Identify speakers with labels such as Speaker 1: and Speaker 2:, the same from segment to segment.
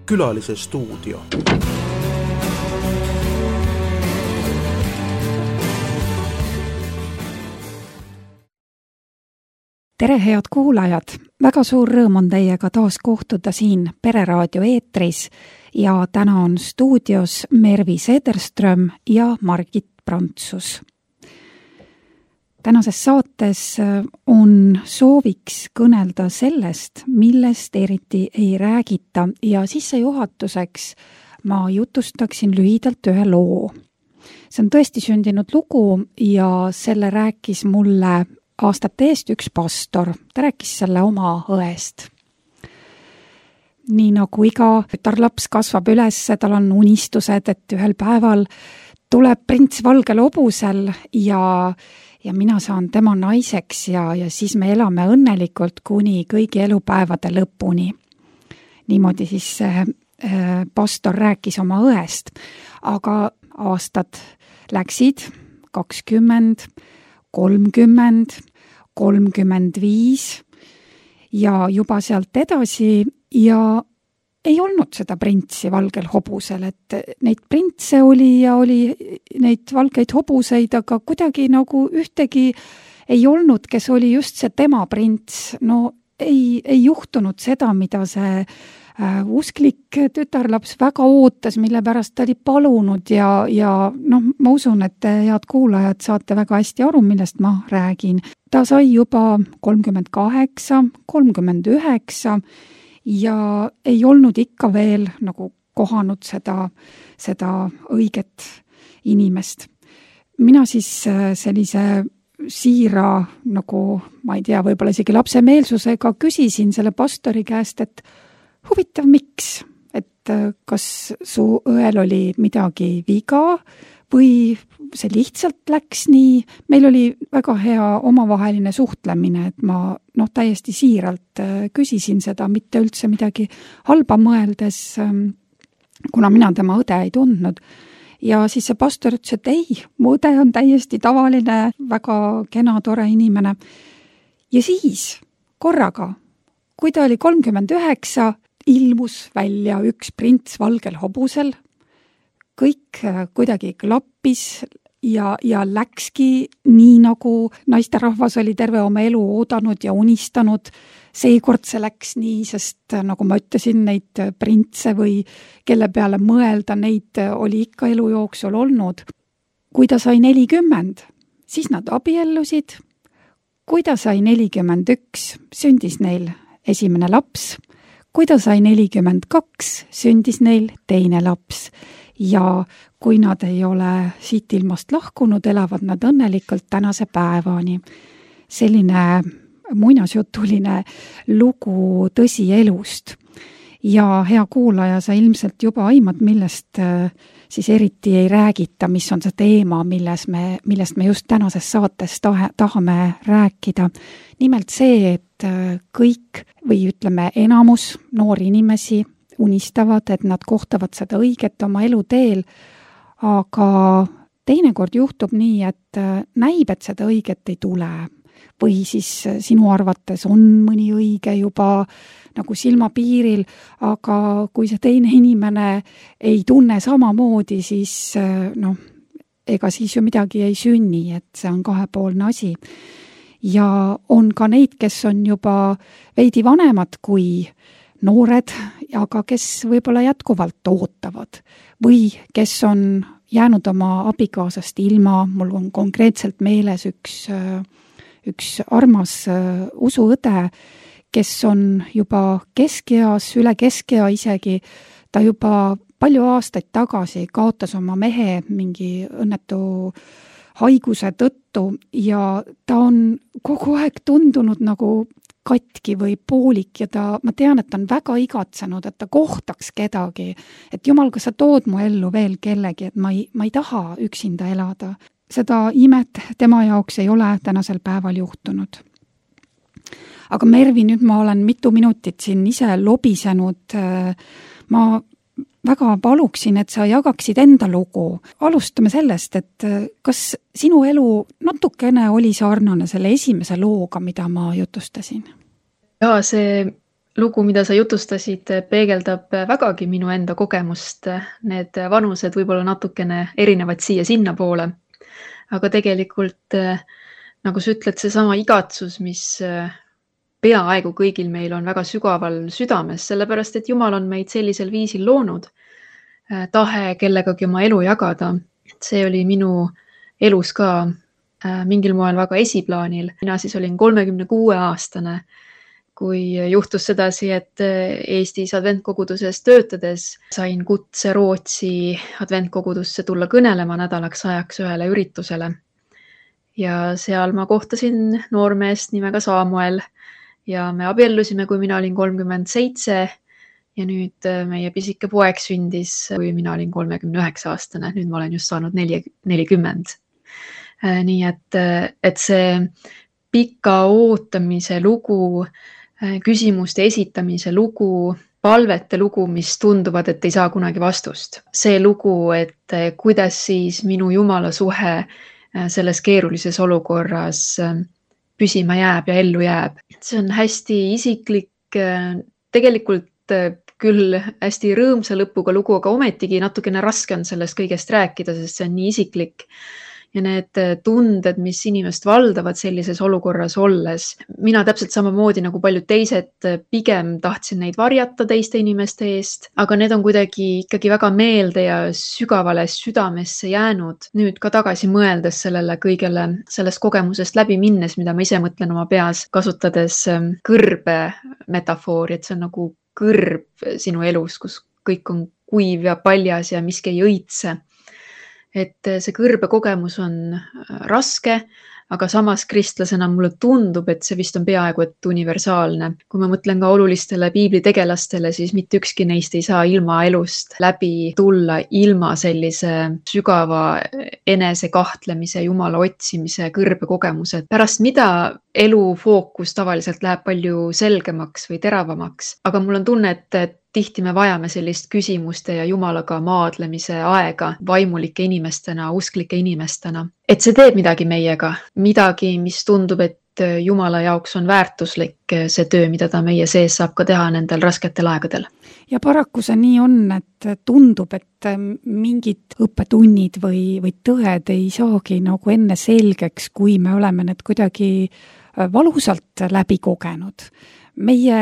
Speaker 1: Külalise stuudio.
Speaker 2: Tere, head kuulajad! Väga suur rõõm on teiega taas kohtuda siin Pereraadio eetris ja täna on stuudios Mervi Sederström ja Margit Prantsus. Tänases saates on sooviks kõnelda sellest, millest eriti ei räägita ja sissejuhatuseks ma jutustaksin lühidalt ühe loo. See on tõesti sündinud lugu ja selle rääkis mulle aastate eest üks pastor. Ta rääkis selle oma õest. Nii nagu iga tütarlaps kasvab üles, tal on unistused, et ühel päeval tuleb prints valgel hobusel ja mina saan tema naiseks ja siis me elame õnnelikult kuni kõigi elupäevade lõpuni. Niimoodi siis pastor rääkis oma õest, aga aastad läksid 20, 30, 35 ja juba sealt edasi ja ei olnud seda printsi valgel hobusel, et neid printse oli ja oli neid valgeid hobuseid, aga kuidagi nagu ühtegi ei olnud, kes oli just see tema prints. No ei juhtunud seda, mida see usklik tütarlaps väga ootas, mille pärast ta oli palunud ja ma usun, et head kuulajad saate väga hästi aru, millest ma räägin. Ta sai juba 38, 39 ja ei olnud ikka veel nagu kohanud seda õiget inimest. Mina siis sellise siira, nagu ma ei tea, võib-olla isegi lapsemeelsusega küsisin selle pastori käest, et huvitav, miks? Et kas su õel oli midagi viga või see lihtsalt läks nii? Meil oli väga hea omavaheline suhtlemine, et ma täiesti siiralt küsisin seda, mitte üldse midagi halba mõeldes, kuna mina tema õde ei tundnud. Ja siis see pastor ütles, et ei, mu õde on täiesti tavaline, väga kena, tore inimene. Ja siis korraga, kui ta oli 39, ilmus välja üks prints valgel hobusel, kõik kuidagi klappis ja läkski nii, nagu naisterahvas oli terve oma elu oodanud ja unistanud. Seekord see läks nii, sest nagu ma ütlesin, neid printse või kelle peale mõelda, neid oli ikka elu jooksul olnud. Kui ta sai 40, siis nad abiellusid. Kui ta sai 41, sündis neil esimene laps. Kui ta sai 42, sündis neil teine laps ja kui nad ei ole siit ilmast lahkunud, elavad nad õnnelikult tänase päevani. Selline muinasjutuline lugu tõsielust. Ja hea kuulaja, sa ilmselt juba aimad, millest siis eriti ei räägita, mis on see teema, millest me just tänases saates tahame rääkida. Nimelt see, et kõik või ütleme enamus noori inimesi unistavad, et nad kohtavad seda õiget oma eluteel, aga teinekord juhtub nii, et näib, et seda õiget ei tule. Või siis sinu arvates on mõni õige juba nagu silmapiiril, aga kui see teine inimene ei tunne samamoodi, siis ega siis ju midagi ei sünni, et see on kahepoolne asi. Ja on ka neid, kes on juba veidi vanemad kui noored, aga kes võib-olla jätkuvalt ootavad või kes on jäänud oma abikaasast ilma. Mul on konkreetselt meeles üks armas usuõde, kes on juba keskeas, üle keskea isegi. Ta juba palju aastaid tagasi kaotas oma mehe mingi õnnetu haiguse tõttu ja ta on kogu aeg tundunud nagu katki või poolik ja ma tean, et ta on väga igatsenud, et ta kohtaks kedagi, et jumal, kas sa tood mu ellu veel kellegi, et ma ei taha üksinda elada. Seda imet tema jaoks ei ole tänasel päeval juhtunud. Aga Mervi, nüüd ma olen mitu minutit siin ise lobisenud. Ma väga paluksin, et sa jagaksid enda lugu. Alustame sellest, et kas sinu elu natukene oli sarnane selle esimese looga, mida ma jutustasin?
Speaker 3: Jaa, see
Speaker 1: lugu, mida sa jutustasid, peegeldab vägagi minu enda kogemust. Need vanused võib-olla natukene erinevad siia-sinna poole. Aga tegelikult, nagu sa ütled, seesama igatsus, mis peaaegu kõigil meil on väga sügaval südames, sellepärast et Jumal on meid sellisel viisil loonud. Tahe kellegagi oma elu jagada. See oli minu elus ka mingil moel väga esiplaanil. Mina siis olin 36-aastane, kui juhtus sedasi, et Eestis adventkoguduses töötades sain kutse Rootsi adventkogudusse tulla kõnelema nädalaks ajaks ühele üritusele. Ja seal ma kohtasin noormeest nimega Samuel ja me abiellusime, kui mina olin 37 ja nüüd meie pisike poeg sündis, kui mina olin 39-aastane. Nüüd ma olen just saanud 40. Nii et see pika ootamise lugu, küsimuste esitamise lugu, palvete lugu, mis tunduvad, et ei saa kunagi vastust. See lugu, et kuidas siis minu Jumala suhe selles keerulises olukorras püsima jääb ja ellu jääb. See on hästi isiklik, tegelikult küll hästi rõõmsa lõpuga lugu, aga ometigi natukene raske on sellest kõigest rääkida, sest see on nii isiklik. Ja need tunded, mis inimest valdavad sellises olukorras olles. Mina täpselt samamoodi nagu paljud teised pigem tahtsin neid varjata teiste inimeste eest, aga need on kuidagi ikkagi väga meelde ja sügavale südamesse jäänud. Nüüd ka tagasi mõeldes sellele kõigele sellest kogemusest läbi minnes, mida ma ise mõtlen oma peas, kasutades kõrbe metafoori, et see on nagu kõrb sinu elus, kus kõik on kuiv ja paljas ja miski ei õitse. Et see kõrbe kogemus on raske, aga samas kristlasena mulle tundub, et see vist on peaaegu et universaalne. Kui ma mõtlen ka olulistele piiblitegelastele, siis mitte ükski neist ei saa ilma elust läbi tulla ilma sellise sügava enesekahtlemise, Jumala otsimise, kõrbe kogemuse. Pärast mida elu fookus tavaliselt läheb palju selgemaks või teravamaks, aga mul on tunne, et tihti me vajame sellist küsimuste ja Jumalaga maadlemise aega vaimulike inimestena, usklike inimestena. Et see teeb midagi meiega, midagi, mis tundub, et Jumala jaoks on väärtuslik see töö, mida ta meie sees saab ka teha nendel rasketel aegadel.
Speaker 2: Ja paraku see nii on, et tundub, et mingid õppetunnid või tõed ei saagi nagu enne selgeks, kui me oleme need kuidagi valusalt läbi kogenud. Meie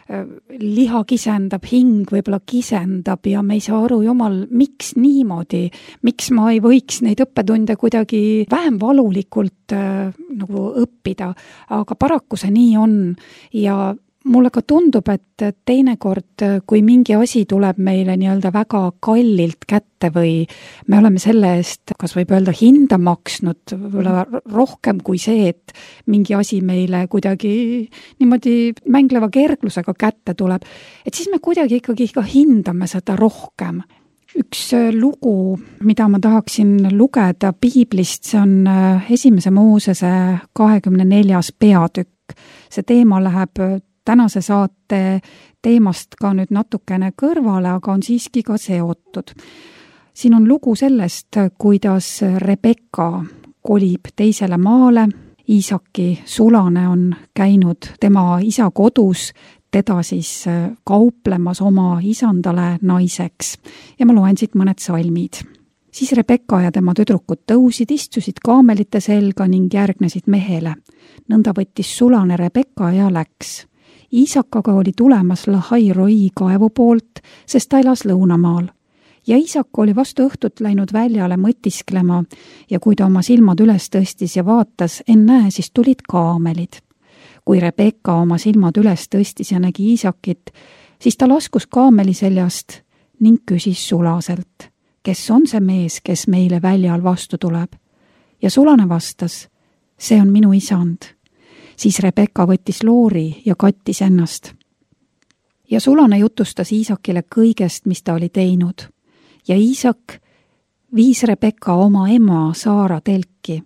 Speaker 2: liha kisendab, hing võib-olla kisendab ja me ei saa aru, Jumal, miks niimoodi, miks ma ei võiks neid õppetunde kuidagi vähem valulikult nagu õppida, aga paraku see nii on ja mulle ka tundub, et teinekord, kui mingi asi tuleb meile nii-öelda väga kallilt kätte või me oleme selle eest, kas võib öelda, hinda maksnud rohkem kui see, et mingi asi meile kuidagi niimoodi mängleva kerglusega kätte tuleb, et siis me kuidagi ikkagi ka hindame seda rohkem. Üks lugu, mida ma tahaksin lugeda piiblist, see on 1. Moosese 24. peatükk. See teema läheb tänase saate teemast ka nüüd natukene kõrvale, aga on siiski ka seotud. Siin on lugu sellest, kuidas Rebekka kolib teisele maale. Iisaki sulane on käinud tema isa kodus, teda siis kauplemas oma isandale naiseks. Ja ma loen siit mõned salmid. Siis Rebekka ja tema tüdrukud tõusid, istusid kaamelite selga ning järgnesid mehele. Nõnda võttis sulane Rebekka ja läks. Iisakaga oli tulemas Lahai-Roi kaevu poolt, sest ta elas lõunamaal. Ja Iisak oli vastu õhtut läinud väljale mõtisklema ja kui ta oma silmad üles tõstis ja vaatas, ennäe, siis tulid kaamelid. Kui Rebekka oma silmad üles tõstis ja nägi Iisakit, siis ta laskus kaameli seljast ning küsis sulaselt, kes on see mees, kes meile väljal vastu tuleb. Ja sulane vastas, see on minu isand. Siis Rebekka võttis loori ja kattis ennast. Ja sulane jutustas Iisakile kõigest, mis ta oli teinud. Ja Iisak viis Rebekka oma ema Saara telki.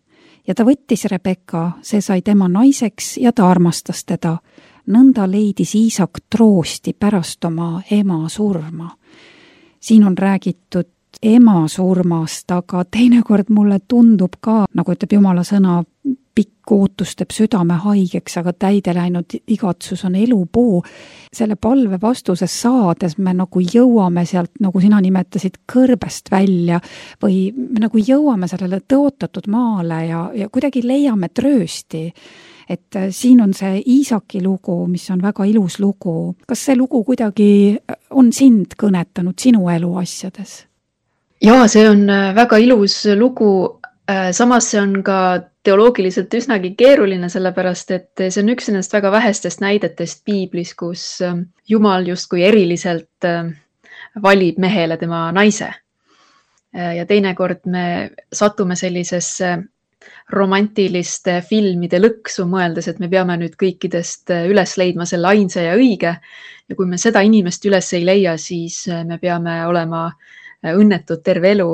Speaker 2: Ja ta võttis Rebekka, see sai tema naiseks ja ta armastas teda. Nõnda leidis Iisak troosti pärast oma ema surma. Siin on räägitud ema surmast, aga teinekord mulle tundub ka, nagu ütleb Jumala sõna, pikk ootus teeb südame haigeks, aga täide läinud igatsus on elupuu. Selle palve vastuses saades me nagu jõuame sealt, nagu sina nimetasid, kõrbest välja või me nagu jõuame sellele tõotatud maale ja kuidagi leiame tröösti. Et siin on see Iisaki lugu, mis on väga ilus lugu. Kas see lugu kuidagi on sind kõnetanud sinu eluasjades?
Speaker 1: Jaa, see on väga ilus lugu. Samas see on ka teoloogiliselt üsnagi keeruline, sellepärast et see on üks nendest väga vähestest näidetest piiblis, kus Jumal justkui eriliselt valib mehele tema naise. Ja teinekord me satume sellisesse romantiliste filmide lõksu, mõeldes, et me peame nüüd kõikidest üles leidma selle ainsa ja õige. Ja kui me seda inimest üles ei leia, siis me peame olema õnnetud terve elu.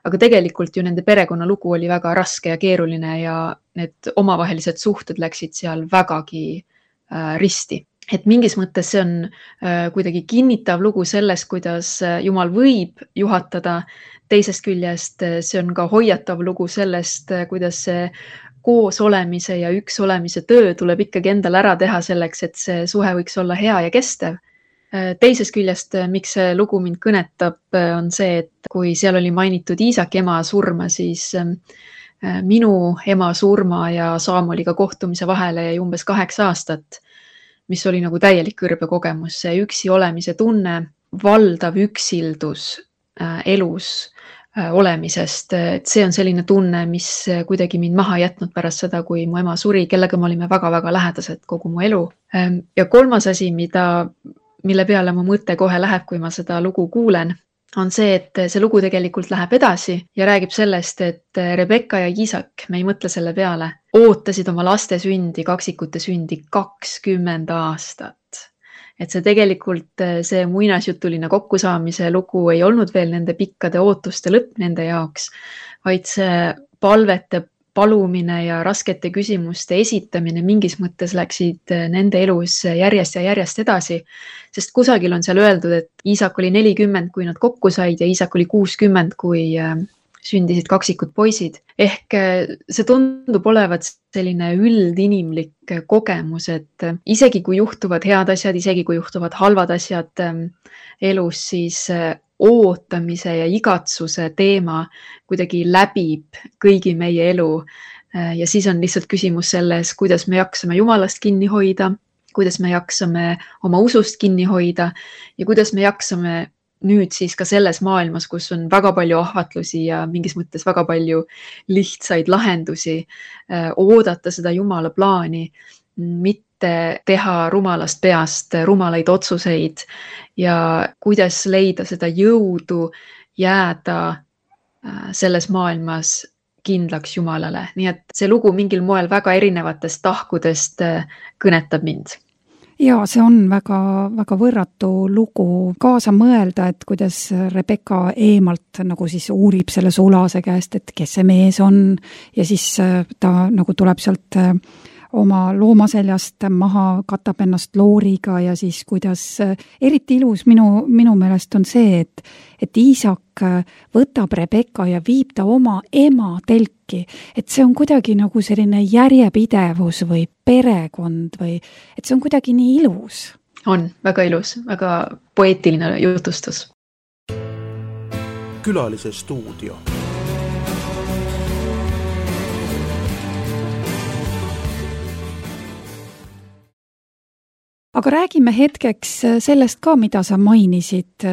Speaker 1: Aga tegelikult ju nende perekonnalugu oli väga raske ja keeruline ja need omavahelised suhted läksid seal vägagi risti. Et mingis mõttes see on kuidagi kinnitav lugu sellest, kuidas Jumal võib juhatada. Teisest küljest see on ka hoiatav lugu sellest, kuidas see koos olemise ja üks olemise töö tuleb ikkagi endal ära teha selleks, et see suhe võiks olla hea ja kestev. Teisest küljest, miks see lugu mind kõnetab, on see, et kui seal oli mainitud Iisaki ema surma, siis minu ema surma ja Saamueliga kohtumise vahele jäi umbes 8 aastat, mis oli nagu täielik kõrbekogemus. See üksi olemise tunne, valdav üksildus elus olemisest. Et see on selline tunne, mis kuidagi mind maha jätnud pärast seda, kui mu ema suri, kellega me olime väga-väga lähedased kogu mu elu. Ja kolmas asi, mille peale mu mõte kohe läheb, kui ma seda lugu kuulen, on see, et see lugu tegelikult läheb edasi ja räägib sellest, et Rebekka ja Iisak, me ei mõtle selle peale, ootasid oma laste sündi, kaksikute sündi 20 aastat. Et see tegelikult see muinasjutuline kokkusaamise lugu ei olnud veel nende pikkade ootuste lõpp nende jaoks, vaid see palvete palumine ja raskete küsimuste esitamine mingis mõttes läksid nende elus järjest ja järjest edasi, sest kusagil on seal öeldud, et Iisak oli 40, kui nad kokku said ja Iisak oli 60, kui sündisid kaksikud poisid. Ehk see tundub olevat selline üldinimlik kogemus, et isegi kui juhtuvad head asjad, isegi kui juhtuvad halvad asjad elus, siis ootamise ja igatsuse teema kuidagi läbib kõigi meie elu. Ja siis on lihtsalt küsimus selles, kuidas me jaksame Jumalast kinni hoida, kuidas me jaksame oma usust kinni hoida ja kuidas me jaksame nüüd siis ka selles maailmas, kus on väga palju ahvatlusi ja mingis mõttes väga palju lihtsaid lahendusi, oodata seda Jumala plaani, mitte teha rumalast peast rumalaid otsuseid ja kuidas leida seda jõudu jääda selles maailmas kindlaks Jumalale. Nii et see lugu mingil moel väga erinevatest tahkudest kõnetab mind.
Speaker 2: Ja see on väga, väga võrratu lugu kaasa mõelda, et kuidas Rebekka eemalt nagu siis uurib selle sulase käest, et kes see mees on ja siis ta nagu tuleb sealt oma loomaseljast maha, katab ennast looriga ja siis kuidas eriti ilus minu meelest on see, et Iisak võtab Rebekka ja viib ta oma ema telki, et see on kuidagi nagu selline järjepidevus või perekond või et see on kuidagi nii ilus.
Speaker 1: On väga ilus, väga poeetiline jutustus.
Speaker 3: Külalise stuudio.
Speaker 2: Aga räägime hetkeks sellest ka, mida sa mainisid,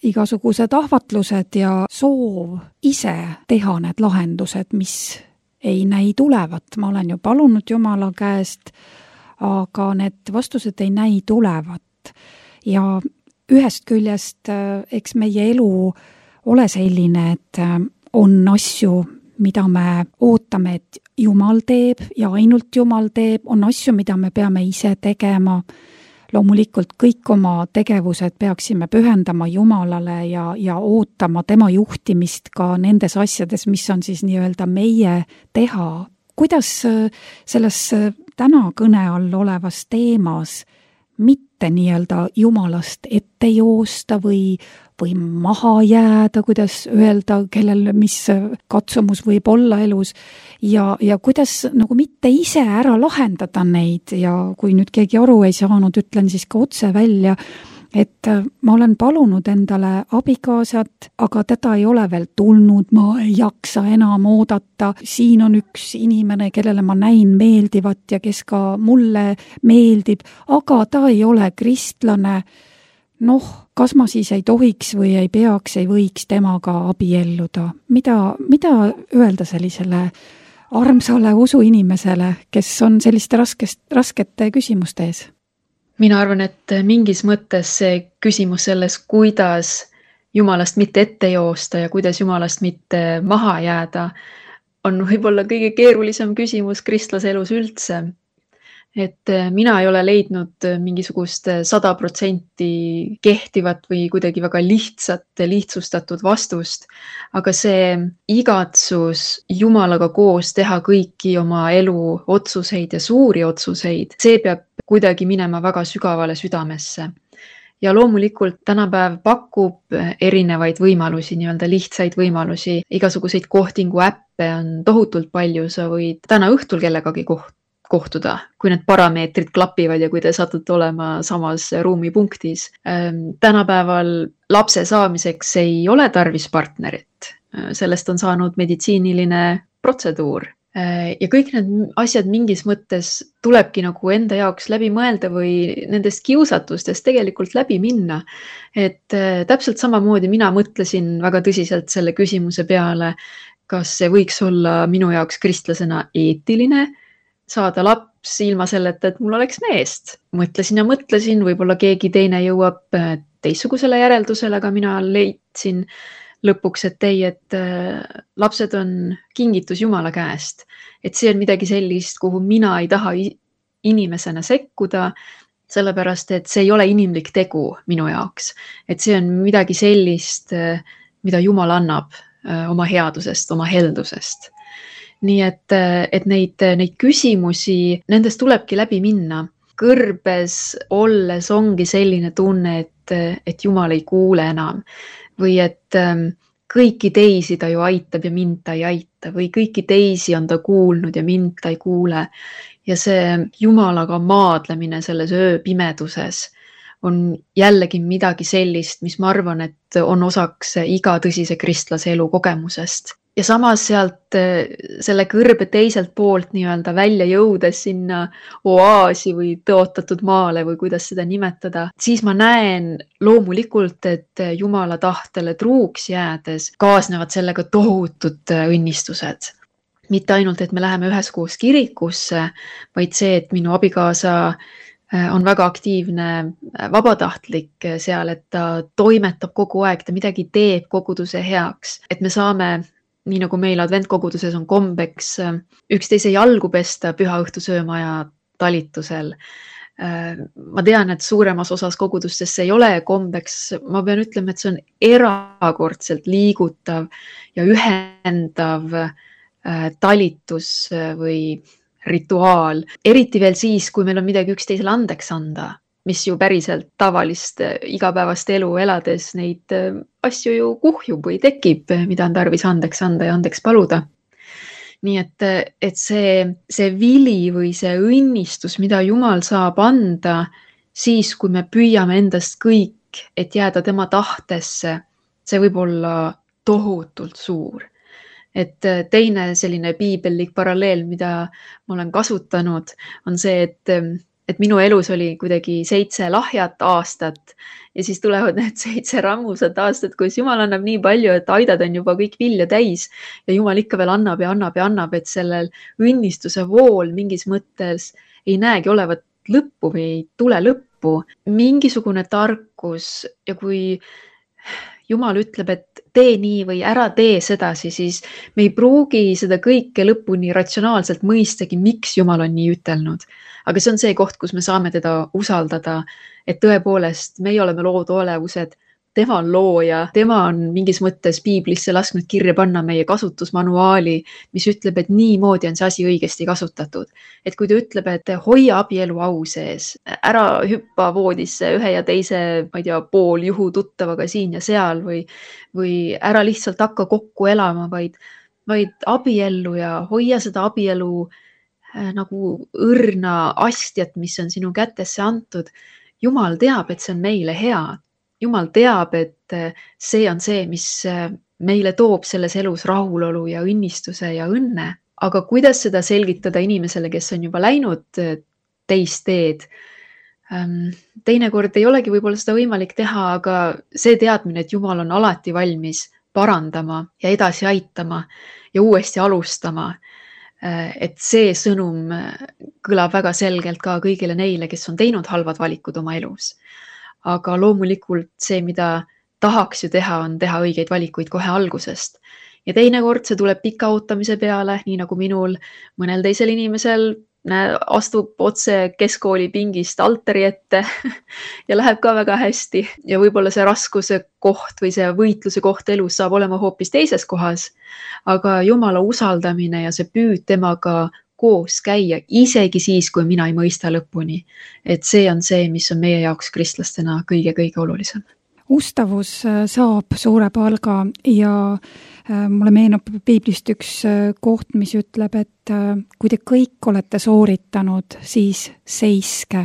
Speaker 2: igasugused ahvatlused ja soov ise teha need lahendused, mis ei näi tulevat. Ma olen ju palunud Jumala käest, aga need vastused ei näi tulevat. Ja ühest küljest, eks meie elu ole selline, et on asju, mida me ootame, et Jumal teeb ja ainult Jumal teeb, on asju, mida me peame ise tegema. Loomulikult kõik oma tegevused peaksime pühendama Jumalale ja ootama tema juhtimist ka nendes asjades, mis on siis nii-öelda meie teha. Kuidas selles täna kõne all olevas teemas mitte nii-öelda Jumalast ette joosta või maha jääda, kuidas öelda, kellel mis katsumus võib olla elus ja kuidas nagu mitte ise ära lahendada neid ja kui nüüd keegi aru ei saanud, ütlen siis ka otse välja, et ma olen palunud endale abikaasat, aga teda ei ole veel tulnud, ma ei jaksa enam oodata. Siin on üks inimene, kellele ma näin meeldivat ja kes ka mulle meeldib, aga ta ei ole kristlane. Noh, kas ma siis ei tohiks või ei peaks, ei võiks temaga abielluda? Mida öelda sellisele armsale usuinimesele, kes on selliste raskete küsimuste ees?
Speaker 1: Mina arvan, et mingis mõttes see küsimus selles, kuidas Jumalast mitte ette joosta ja kuidas Jumalast mitte maha jääda, on võib-olla kõige keerulisem küsimus kristlase elus üldse. Et mina ei ole leidnud mingisugust 100% kehtivat või kuidagi väga lihtsustatud vastust, aga see igatsus Jumalaga koos teha kõiki oma elu otsuseid ja suuri otsuseid, see peab kuidagi minema väga sügavale südamesse. Ja loomulikult tänapäev pakub erinevaid võimalusi, nii-öelda lihtsaid võimalusi, igasuguseid kohtingu äppe on tohutult palju, sa võid täna õhtul kellegagi kohtuda, kui need parameetrid klapivad ja kui te satute olema samas ruumipunktis. Tänapäeval lapse saamiseks ei ole tarvis partnerit, sellest on saanud meditsiiniline protseduur. Ja kõik need asjad mingis mõttes tulebki nagu enda jaoks läbi mõelda või nendest kiusatustest tegelikult läbi minna. Et täpselt samamoodi mina mõtlesin väga tõsiselt selle küsimuse peale, kas see võiks olla minu jaoks kristlasena eetiline, saada laps ilma selleta, et mul oleks meest. Mõtlesin ja mõtlesin, võib-olla keegi teine jõuab teistsugusele järeldusele, aga mina leidsin lõpuks, et ei, et lapsed on kingitus Jumala käest. Et see on midagi sellist, kuhu mina ei taha inimesena sekkuda, sellepärast, et see ei ole inimlik tegu minu jaoks. Et see on midagi sellist, mida Jumal annab oma headusest, oma heldusest. Nii et neid küsimusi, nendest tulebki läbi minna. Kõrbes olles ongi selline tunne, et Jumal ei kuule enam. Või et kõiki teisi ta ju aitab ja mind ta ei aita või kõiki teisi on ta kuulnud ja mind ta ei kuule. Ja see Jumalaga maadlemine selles ööpimeduses on jällegi midagi sellist, mis ma arvan, et on osaks iga tõsise kristlase elu kogemusest. Ja samas sealt selle kõrbe teiselt poolt nii-öelda välja jõudes sinna oaasi või tõotatud maale või kuidas seda nimetada, siis ma näen loomulikult, et Jumala tahtele truuks jäädes kaasnevad sellega tohutud õnnistused. Mitte ainult, et me läheme üheskoos kirikusse, vaid see, et minu abikaasa on väga aktiivne vabatahtlik seal, et ta toimetab kogu aeg, ta midagi teeb koguduse heaks, et me saame nii nagu meil adventkoguduses on kombeks üksteise jalgu pesta pühaõhtusöömaja talitusel. Ma tean, et suuremas osas kogudustes see ei ole kombeks. Ma pean ütlema, et see on erakordselt liigutav ja ühendav talitus või rituaal. Eriti veel siis, kui meil on midagi üksteisele andeks anda, mis ju päriselt tavalist igapäevast elu elades neid asju ju kuhjub või tekib, mida on tarvis andeks anda ja andeks paluda. Nii et see vili või see õnnistus, mida Jumal saab anda siis, kui me püüame endast kõik, et jääda tema tahtesse, see võib olla tohutult suur. Et teine selline piibellik paralleel, mida ma olen kasutanud, on see, et minu elus oli kuidagi 7 lahjat aastat ja siis tulevad need 7 rammusat aastat, kus Jumal annab nii palju, et aidad on juba kõik vilja täis ja Jumal ikka veel annab ja annab ja annab, et sellel õnnistuse vool mingis mõttes ei näegi olevat lõppu või ei tule lõppu. Mingisugune tarkus ja kui Jumal ütleb, et tee nii või ära tee sedasi, siis me ei pruugi seda kõike lõpuni ratsionaalselt mõistagi, miks Jumal on nii ütelnud. Aga see on see koht, kus me saame teda usaldada, et tõepoolest meie oleme loodolevused, tema on looja, tema on mingis mõttes piiblisse lasknud kirja panna meie kasutusmanuaali, mis ütleb, et niimoodi on see asi õigesti kasutatud. Et kui ta ütleb, et hoia abielu au sees, ära hüppa voodisse ühe ja teise, ma ei tea, pooljuhu tuttavaga siin ja seal või ära lihtsalt hakka kokku elama, vaid abiellu ja hoia seda abielu nagu õrna astjat, mis on sinu kätesse antud. Jumal teab, et see on meile hea. Jumal teab, et see on see, mis meile toob selles elus rahulolu ja õnnistuse ja õnne. Aga kuidas seda selgitada inimesele, kes on juba läinud teist teed? Teinekord ei olegi võib-olla seda võimalik teha, aga see teadmine, et Jumal on alati valmis parandama ja edasi aitama ja uuesti alustama. Et see sõnum kõlab väga selgelt ka kõigile neile, kes on teinud halvad valikud oma elus. Aga loomulikult see, mida tahaks ju teha, on teha õigeid valikuid kohe algusest. Ja teinekord see tuleb pika ootamise peale, nii nagu minul, mõnel teisel inimesel astub otse keskkooli pingist altari ette ja läheb ka väga hästi. Ja võib-olla see raskuse koht või see võitluse koht elus saab olema hoopis teises kohas. Aga Jumala usaldamine ja see püüd temaga koos käia, isegi siis, kui mina ei mõista lõpuni. Et see on see, mis on meie jaoks kristlastena kõige-kõige olulisem.
Speaker 2: Ustavus saab suure palga ja mulle meenub piiblist üks koht, mis ütleb, et kui te kõik olete sooritanud, siis seiske.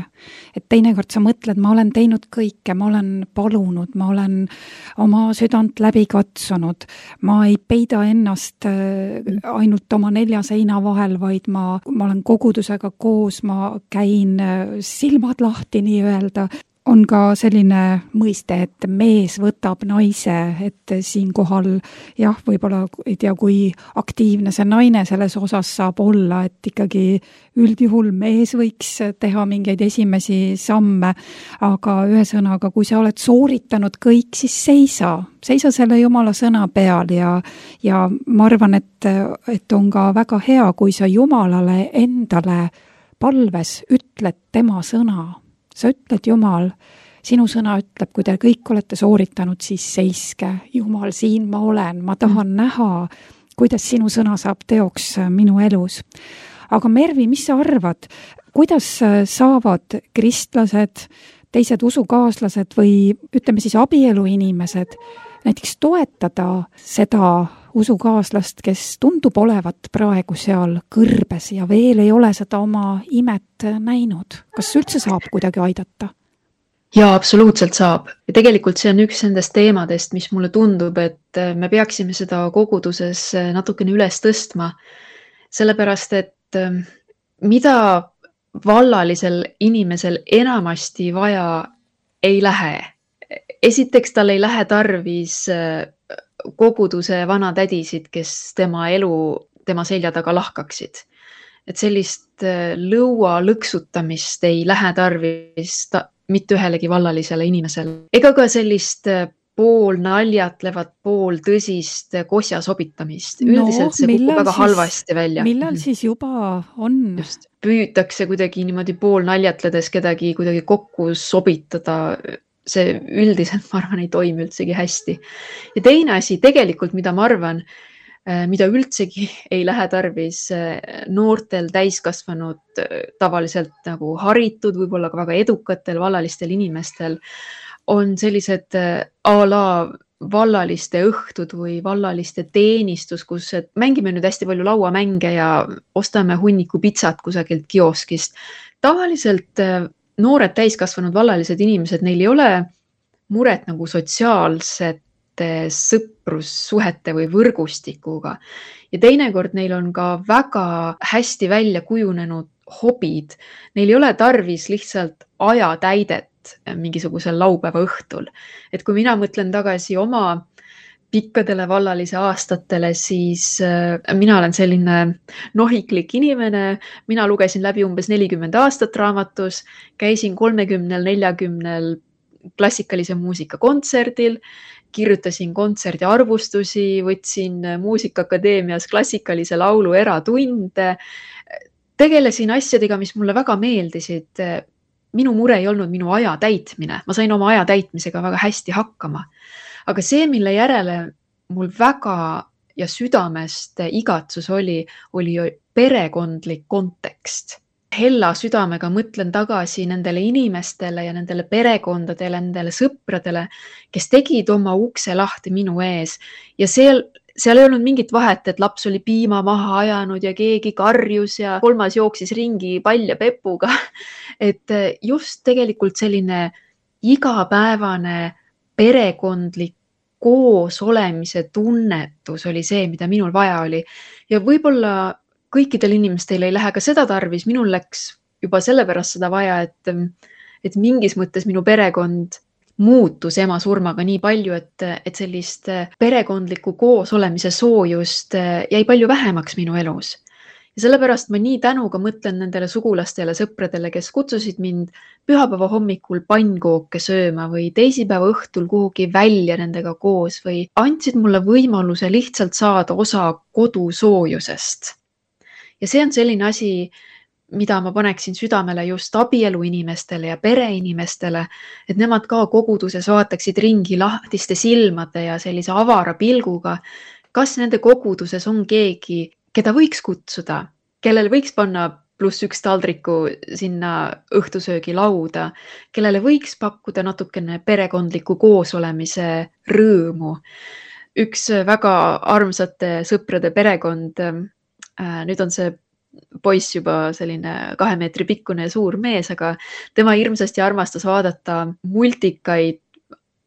Speaker 2: Et teinekord sa mõtled, ma olen teinud kõike, ma olen palunud, ma olen oma südant läbi katsunud. Ma ei peida ennast ainult oma 4 seina vahel, vaid ma olen kogudusega koos, ma käin silmad lahti nii-öelda. On ka selline mõiste, et mees võtab naise, et siinkohal jah, võib-olla ei tea, kui aktiivne see naine selles osas saab olla, et ikkagi üldjuhul mees võiks teha mingeid esimesi samme, aga ühesõnaga, kui sa oled sooritanud kõik, siis seisa selle Jumala sõna peal ja ma arvan, et on ka väga hea, kui sa Jumalale endale palves ütled tema sõna. Sa ütled, Jumal, sinu sõna ütleb, kui te kõik olete sooritanud, siis seiske. Jumal, siin ma olen, ma tahan näha, kuidas sinu sõna saab teoks minu elus. Aga Mervi, mis sa arvad, kuidas saavad kristlased, teised usukaaslased või ütleme siis abieluinimesed näiteks toetada seda usukaaslast, kes tundub olevat praegu seal kõrbes ja veel ei ole seda oma imet näinud. Kas üldse saab kuidagi aidata?
Speaker 1: Jaa, absoluutselt saab. Ja tegelikult see on üks nendest teemadest, mis mulle tundub, et me peaksime seda koguduses natukene üles tõstma. Sellepärast, et mida vallalisel inimesel enamasti vaja ei lähe. Esiteks tal ei lähe tarvis koguduse vanatädisid, kes tema elu tema selja taga lahkaksid. Et sellist lõua lõksutamist ei lähe tarvis mitte ühelegi vallalisele inimesele. Ega ka sellist pool naljatlevat, pool tõsist kosja sobitamist. Üldiselt see kukub väga halvasti välja.
Speaker 2: Millal siis juba on?
Speaker 1: Just. Püütakse kuidagi niimoodi pool naljatledes kedagi kuidagi kokku sobitada. See üldiselt, ma arvan, ei toimi üldsegi hästi. Ja teine asi tegelikult, mida ma arvan, mida üldsegi ei lähe tarvis noortel täiskasvanud, tavaliselt nagu haritud, võib-olla ka väga edukatel vallalistel inimestel, on sellised a la vallaliste õhtud või vallaliste teenistus, kus mängime nüüd hästi palju lauamänge ja ostame hunniku pitsat kusagilt kioskist. Tavaliselt noored täiskasvanud vallalised inimesed, neil ei ole muret nagu sotsiaalsete sõprussuhete või võrgustikuga. Ja teinekord neil on ka väga hästi välja kujunenud hobid. Neil ei ole tarvis lihtsalt ajatäidet mingisugusel laupäeva õhtul. Et kui mina mõtlen tagasi oma pikkadele vallalise aastatele, siis mina olen selline nohiklik inimene. Mina lugesin läbi umbes 40 aastat raamatus, käisin 30-40 klassikalise muusika kontserdil, kirjutasin kontserdi arvustusi, võtsin Muusikaakadeemias klassikalise laulu eratunde, tegelesin asjadega, mis mulle väga meeldisid. minu mure ei olnud minu aja täitmine, ma sain oma aja täitmisega väga hästi hakkama. Aga see, mille järele mul väga ja südamest igatsus oli perekondlik kontekst. Hella südamega mõtlen tagasi nendele inimestele ja nendele perekondadele, nendele sõpradele, kes tegid oma ukse lahti minu ees ja seal ei olnud mingit vahet, et laps oli piima maha ajanud ja keegi karjus ja kolmas jooksis ringi pall ja pepuga. Et just tegelikult selline igapäevane perekondlik koos olemise tunnetus oli see, mida minul vaja oli. Ja võib-olla kõikidel inimestel ei lähe ka seda tarvis, minul läks juba sellepärast seda vaja, et mingis mõttes minu perekond muutus ema surmaga nii palju, et sellist perekondliku koos olemise soojust jäi palju vähemaks minu elus. Ja sellepärast ma nii tänuga mõtlen nendele sugulastele, sõpradele, kes kutsusid mind pühapäeva hommikul pannkooke sööma või teisipäeva õhtul kuhugi välja nendega koos või andsid mulle võimaluse lihtsalt saada osa kodusoojusest. Ja see on selline asi, mida ma paneksin südamele just abielu inimestele ja pereinimestele, et nemad ka koguduses vaataksid ringi lahtiste silmade ja sellise avara pilguga, kas nende koguduses on keegi, keda võiks kutsuda, kellele võiks panna +1 taldriku sinna õhtusöögi lauda, kellele võiks pakkuda natukene perekondliku koosolemise rõõmu. Üks väga armsate sõprade perekond, nüüd on see poiss juba selline 2 meetri pikkune ja suur mees, aga tema hirmsasti armastas vaadata multikaid.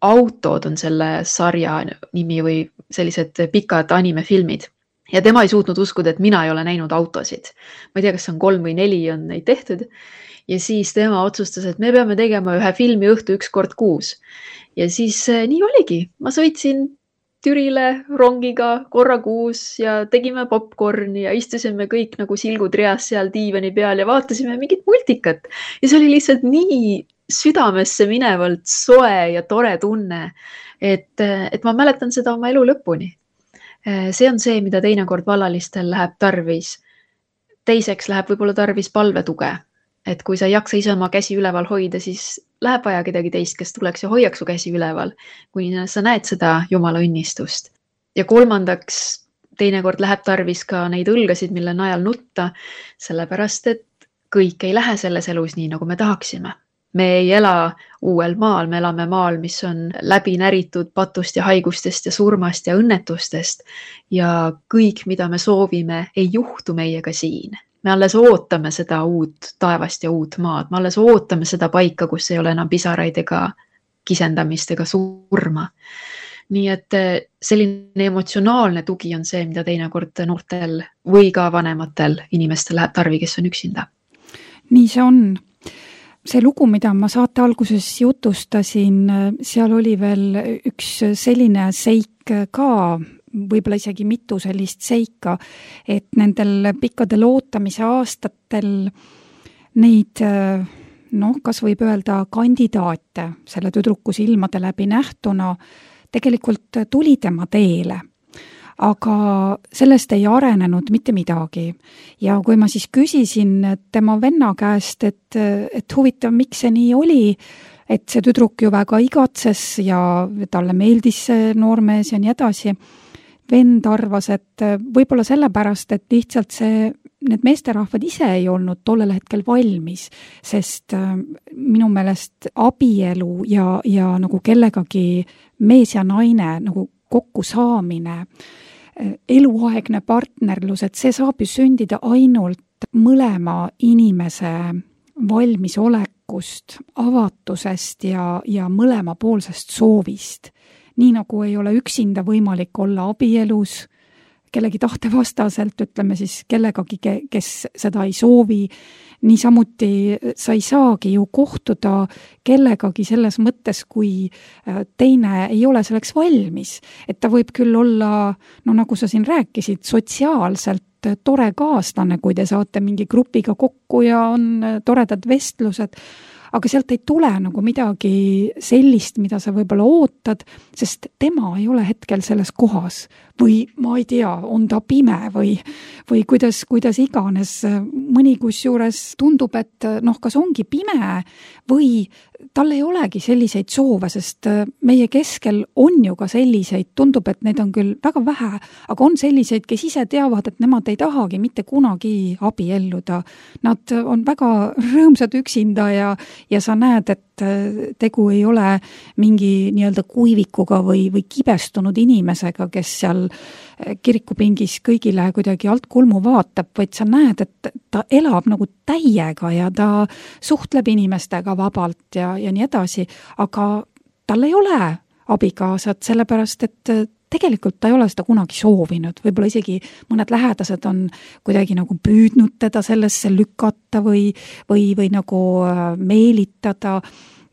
Speaker 1: Autod on selle sarja nimi või sellised pikad animefilmid. Ja tema ei suutnud uskuda, et mina ei ole näinud autosid. Ma ei tea, kas on 3 või 4 on neid tehtud. Ja siis tema otsustas, et me peame tegema ühe filmi õhtu 1 kord kuus. Ja siis nii oligi. Ma sõitsin Türile rongiga korra kuus ja tegime popcorni ja istusime kõik nagu silgud reas seal diivani peal ja vaatasime mingit multikat. Ja see oli lihtsalt nii südamesse minevalt soe ja tore tunne, et ma mäletan seda oma elu lõpuni. See on see, mida teinekord vallalistel läheb tarvis. Teiseks läheb võib-olla tarvis palvetuge. Et kui sa ei jaksa ise oma käsi üleval hoida, siis läheb vaja kedagi teist, kes tuleks ja hoiaks su käsi üleval, kui sa näed seda Jumala õnnistust. Ja kolmandaks, teinekord läheb tarvis ka neid õlgasid, mille najal nutta, sellepärast, et kõik ei lähe selles elus nii, nagu me tahaksime. Me ei ela uuel maal, me elame maal, mis on läbi näritud patust ja haigustest ja surmast ja õnnetustest. Ja kõik, mida me soovime, ei juhtu meiega siin. Me alles ootame seda uut taevast ja uut maad. Me alles ootame seda paika, kus ei ole enam pisaraid ega kisendamist ega surma. Nii et selline emotsionaalne tugi on see, mida teinekord noortel või ka vanematel inimestel läheb tarvi, kes on üksinda.
Speaker 2: Nii see on. See lugu, mida ma saate alguses jutustasin, seal oli veel üks selline seik ka, võib-olla isegi mitu sellist seika, et nendel pikkadel ootamise aastatel neid, kas võib öelda kandidaate selle tüdruku silmade läbi nähtuna tegelikult tuli tema teele. Aga sellest ei arenenud mitte midagi. Ja kui ma siis küsisin tema venna käest, et huvitav, miks see nii oli, et see tüdruk ju väga igatses ja talle meeldis see noormees ja nii edasi, vend arvas, et võib-olla sellepärast, et lihtsalt need meesterahvad ise ei olnud tollel hetkel valmis, sest minu meelest abielu ja nagu kellegagi mees ja naine nagu kokku saamine, eluaegne partnerlus, et see saab ju sündida ainult mõlema inimese valmisolekust, avatusest ja mõlemapoolsest soovist. Nii nagu ei ole üksinda võimalik olla abielus, kellegi tahte vastaselt, ütleme siis kellegagi, kes seda ei soovi, niisamuti sa ei saagi ju kohtuda kellegagi selles mõttes, kui teine ei ole selleks valmis. Et ta võib küll olla, nagu sa siin rääkisid, sotsiaalselt tore kaaslane, kui te saate mingi grupiga kokku ja on toredad vestlused, aga sealt ei tule nagu midagi sellist, mida sa võib-olla ootad, sest tema ei ole hetkel selles kohas või ma ei tea, on ta pime või kuidas iganes. Mõni kusjuures tundub, et kas ongi pime või tal ei olegi selliseid soove, sest meie keskel on ju ka selliseid, tundub, et neid on küll väga vähe, aga on selliseid, kes ise teavad, et nemad ei tahagi mitte kunagi abielluda. Nad on väga rõõmsad üksinda ja sa näed, et tegu ei ole mingi nii-öelda kuivikuga või kibestunud inimesega, kes seal kirikupingis kõigile kuidagi alt kulmu vaatab, vaid sa näed, et ta elab nagu täiega ja ta suhtleb inimestega vabalt ja nii edasi, aga tal ei ole abikaasat, sellepärast et tegelikult ta ei ole seda kunagi soovinud, võib-olla isegi mõned lähedased on kuidagi nagu püüdnud teda sellesse lükata või nagu meelitada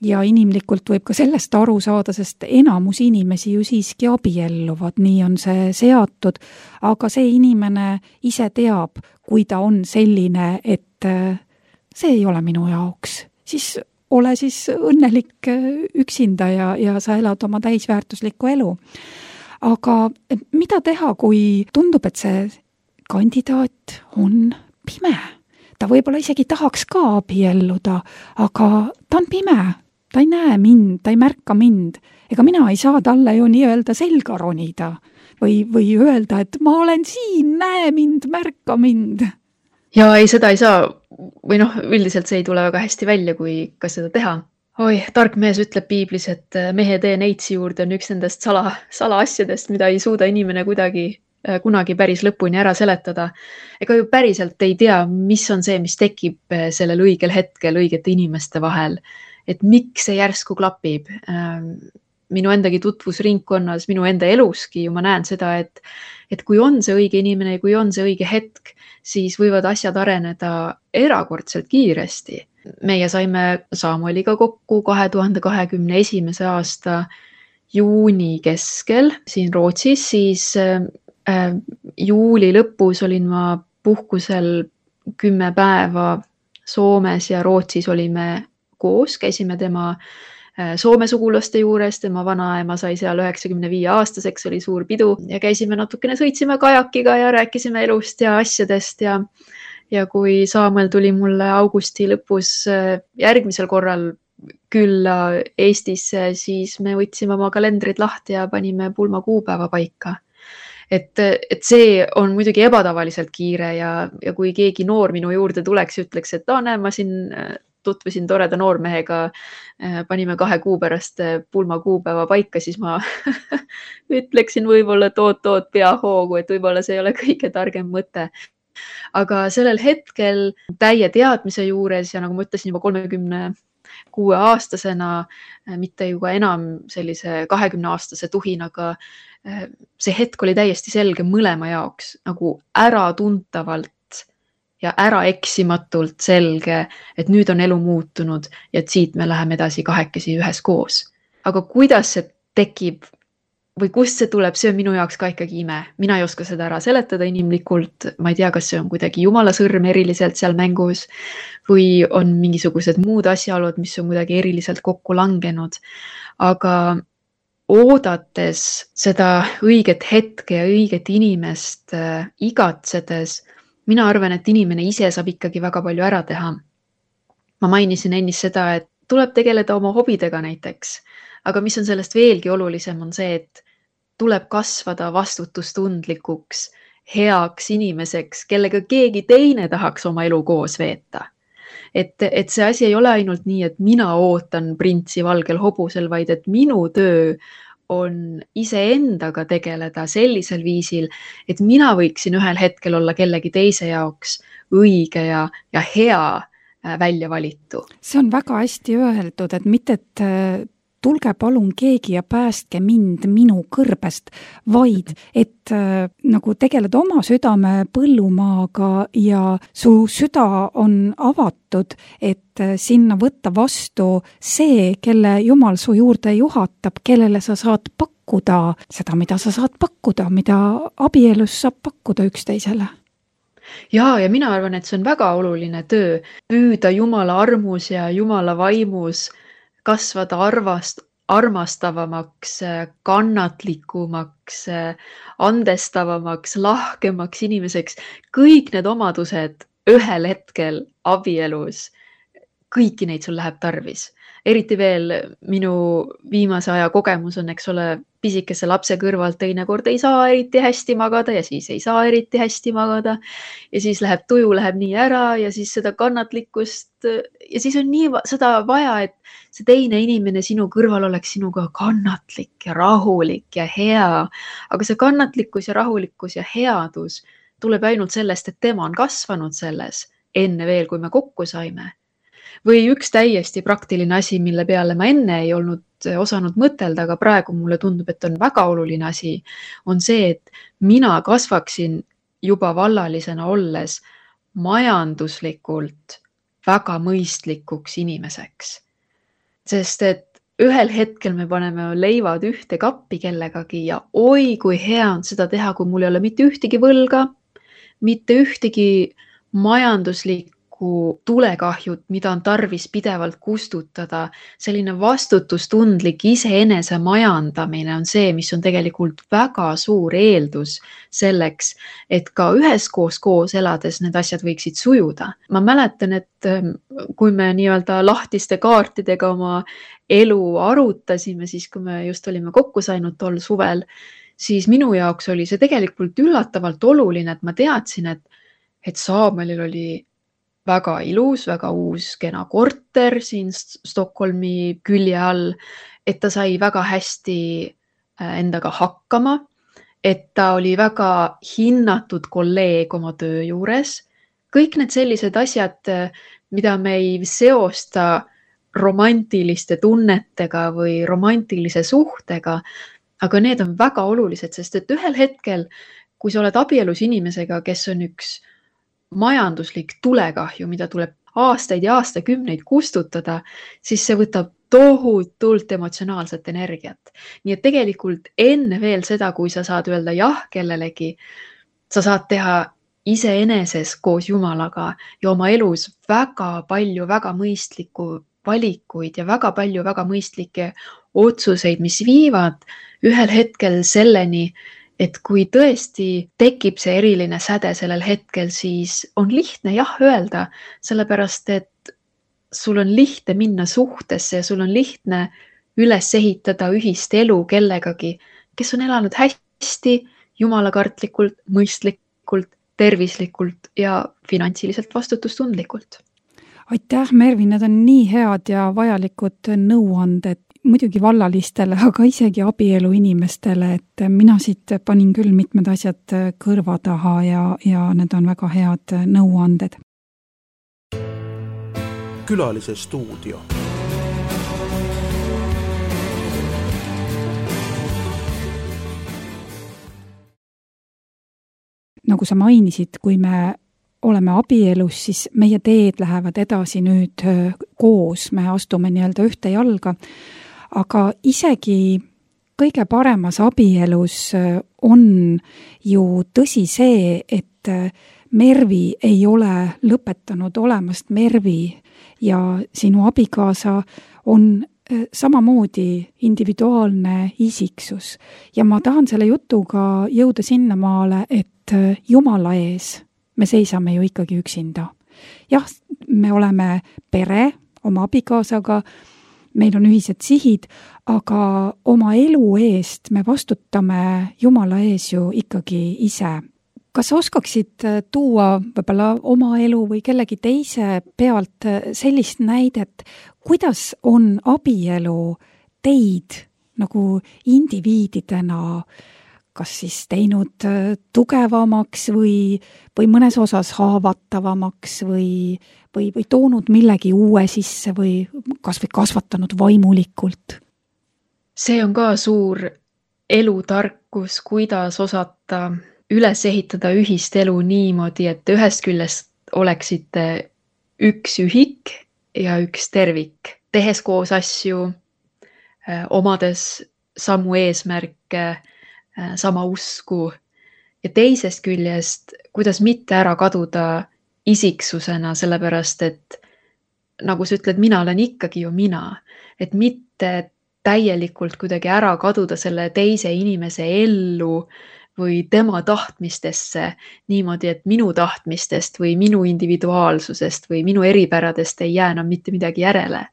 Speaker 2: ja inimlikult võib ka sellest aru saada, sest enamus inimesi ju siiski abielluvad, nii on see seatud, aga see inimene ise teab, kui ta on selline, et see ei ole minu jaoks, siis ole siis õnnelik üksinda ja sa elad oma täisväärtuslikku elu. Aga mida teha, kui tundub, et see kandidaat on pime? Ta võib-olla isegi tahaks ka abielluda, aga ta on pime, ta ei näe mind, ta ei märka mind. Ega mina ei saa talle ju nii-öelda selga ronida või öelda, et ma olen siin, näe mind, märka mind.
Speaker 1: Ja ei, seda ei saa, või üldiselt see ei tule väga hästi välja, kui ka seda teha. Tark mees ütleb piiblis, et mehe tee neitsi juurde on üks nendest salaasjadest, mida ei suuda inimene kunagi päris lõpuni ära seletada. Ega ju päriselt ei tea, mis on see, mis tekib sellel õigel hetkel õigete inimeste vahel. Et miks see järsku klapib. Minu endagi tutvusringkonnas, minu enda eluski ju ma näen seda, et kui on see õige inimene ja kui on see õige hetk, siis võivad asjad areneda erakordselt kiiresti. Meie saime Samueliga kokku 2021. aasta juuni keskel siin Rootsis, siis juuli lõpus olin ma puhkusel 10 päeva Soomes ja Rootsis olime koos, käisime tema Soome sugulaste juures, tema vanaema sai seal 95-aastaseks, oli suur pidu ja käisime natukene, sõitsime kajakiga ja rääkisime elust ja asjadest ja kui Samuel tuli mulle augusti lõpus järgmisel korral külla Eestisse, siis me võtsime oma kalendrid lahti ja panime pulma kuupäeva paika. Et see on muidugi ebatavaliselt kiire ja kui keegi noor minu juurde tuleks ja ütleks, et näe, ma siin tutvusin toreda noormehega, panime 2 kuu pärast pulma kuupäeva paika, siis ma ütleksin võib-olla toot pea hoogu, et võib-olla see ei ole kõige targem mõte. Aga sellel hetkel täie teadmise juures ja nagu ma ütlesin juba 36-aastasena, mitte juba enam sellise 20-aastase tuhinaga, see hetk oli täiesti selge mõlema jaoks, nagu äratuntavalt ja äraeksimatult selge, et nüüd on elu muutunud ja et siit me läheme edasi kahekesi üheskoos. Aga kuidas see tekib või kust see tuleb, see on minu jaoks ka ikkagi ime. Mina ei oska seda ära seletada inimlikult. Ma ei tea, kas see on kuidagi jumala sõrm eriliselt seal mängus või on mingisugused muud asjaolud, mis on kuidagi eriliselt kokku langenud. Aga oodates seda õiget hetke ja õiget inimest igatsedes, mina arvan, et inimene ise saab ikkagi väga palju ära teha. Ma mainisin ennist seda, et tuleb tegeleda oma hobidega näiteks, aga mis on sellest veelgi olulisem on see, et tuleb kasvada vastutustundlikuks, heaks inimeseks, kellega keegi teine tahaks oma elu koos veeta. Et see asi ei ole ainult nii, et mina ootan printsi valgel hobusel, vaid et minu töö on iseendaga tegeleda sellisel viisil, et mina võiksin ühel hetkel olla kellegi teise jaoks õige ja hea välja valitu.
Speaker 2: See on väga hästi öeldud, et mitte, et tulge palun keegi ja päästke mind minu kõrbest, vaid et nagu tegeled oma südame põllumaaga ja su süda on avatud, et sinna võtta vastu see, kelle Jumal su juurde juhatab, kellele sa saad pakkuda seda, mida sa saad pakkuda, mida abielus saab pakkuda üksteisele.
Speaker 1: Ja mina arvan, et see on väga oluline töö, püüda Jumala armus ja Jumala vaimus kasvada armastavamaks, kannatlikumaks, andestavamaks, lahkemaks inimeseks. Kõik need omadused ühel hetkel abielus, kõiki neid sul läheb tarvis. Eriti veel minu viimase aja kogemus on, eks ole, pisikese lapse kõrvalt teinekord ei saa eriti hästi magada ja siis ei saa eriti hästi magada. Ja siis läheb tuju läheb nii ära ja siis seda kannatlikkust ja siis on nii seda vaja, et see teine inimene sinu kõrval oleks sinuga kannatlik ja rahulik ja hea. Aga see kannatlikkus ja rahulikkus ja headus tuleb ainult sellest, et tema on kasvanud selles enne veel, kui me kokku saime. Või üks täiesti praktiline asi, mille peale ma enne ei olnud osanud mõtelda, aga praegu mulle tundub, et on väga oluline asi, on see, et mina kasvaksin juba vallalisena olles majanduslikult väga mõistlikuks inimeseks. Sest et ühel hetkel me paneme leivad ühte kappi kellegagi ja oi, kui hea on seda teha, kui mul ei ole mitte ühtegi võlga, mitte ühtegi majanduslikku tulekahjut, mida on tarvis pidevalt kustutada. Selline vastutustundlik iseenese majandamine on see, mis on tegelikult väga suur eeldus selleks, et ka üheskoos koos elades need asjad võiksid sujuda. Ma mäletan, et kui me nii-öelda lahtiste kaartidega oma elu arutasime, siis kui me just olime kokku saanud tol suvel, siis minu jaoks oli see tegelikult üllatavalt oluline, et ma teadsin, et Samuelil oli väga ilus, väga uus kena korter siin Stockholmi külje all, et ta sai väga hästi endaga hakkama, et ta oli väga hinnatud kolleeg oma töö juures. Kõik need sellised asjad, mida me ei seosta romantiliste tunnetega või romantilise suhtega, aga need on väga olulised, sest et ühel hetkel, kui sa oled abielus inimesega, kes on üks majanduslik tulekahju, mida tuleb aastaid ja aastakümneid kustutada, siis see võtab tohutult emotsionaalset energiat. Nii et tegelikult enne veel seda, kui sa saad öelda jah kellelegi, sa saad teha iseeneses koos Jumalaga ja oma elus väga palju väga mõistlikku valikuid ja väga palju väga mõistlikke otsuseid, mis viivad ühel hetkel selleni, et kui tõesti tekib see eriline säde sellel hetkel, siis on lihtne jah öelda, sellepärast et sul on lihtne minna suhtesse ja sul on lihtne üles ehitada ühist elu kellegagi, kes on elanud hästi, jumalakartlikult, mõistlikult, tervislikult ja finantsiliselt vastutustundlikult.
Speaker 2: Aitäh, Mervi, need on nii head ja vajalikud nõuanded muidugi vallalistele, aga isegi abielu inimestele, et mina siit panin küll mitmed asjad kõrva taha ja need on väga head nõuanded.
Speaker 3: Külalise stuudio.
Speaker 2: Nagu sa mainisid, kui me oleme abielus, siis meie teed lähevad edasi nüüd koos, me astume nii-öelda ühte jalga, aga isegi kõige paremas abielus on ju tõsi see, et Mervi ei ole lõpetanud olemast Mervi ja sinu abikaasa on samamoodi individuaalne isiksus. Ja ma tahan selle jutuga jõuda sinnamaale, et Jumala ees me seisame ju ikkagi üksinda. Jah, me oleme pere oma abikaasaga, meil on ühised sihid, aga oma elu eest me vastutame Jumala ees ju ikkagi ise. Kas sa oskaksid tuua võib-olla oma elu või kellegi teise pealt sellist näidet, kuidas on abielu teid nagu indiviididena kas siis teinud tugevamaks või mõnes osas haavatavamaks või toonud millegi uue sisse või kas või kasvatanud vaimulikult?
Speaker 1: See on ka suur elutarkus, kuidas osata üles ehitada ühist elu niimoodi, et ühest küljest oleksite üks ühik ja üks tervik, tehes koos asju, omades samu eesmärke, sama usku ja teisest küljest, kuidas mitte ära kaduda isiksusena, sellepärast et nagu sa ütled, mina olen ikkagi ju mina, et mitte täielikult kuidagi ära kaduda selle teise inimese ellu või tema tahtmistesse niimoodi, et minu tahtmistest või minu individuaalsusest või minu eripäradest ei jää enam mitte midagi järele.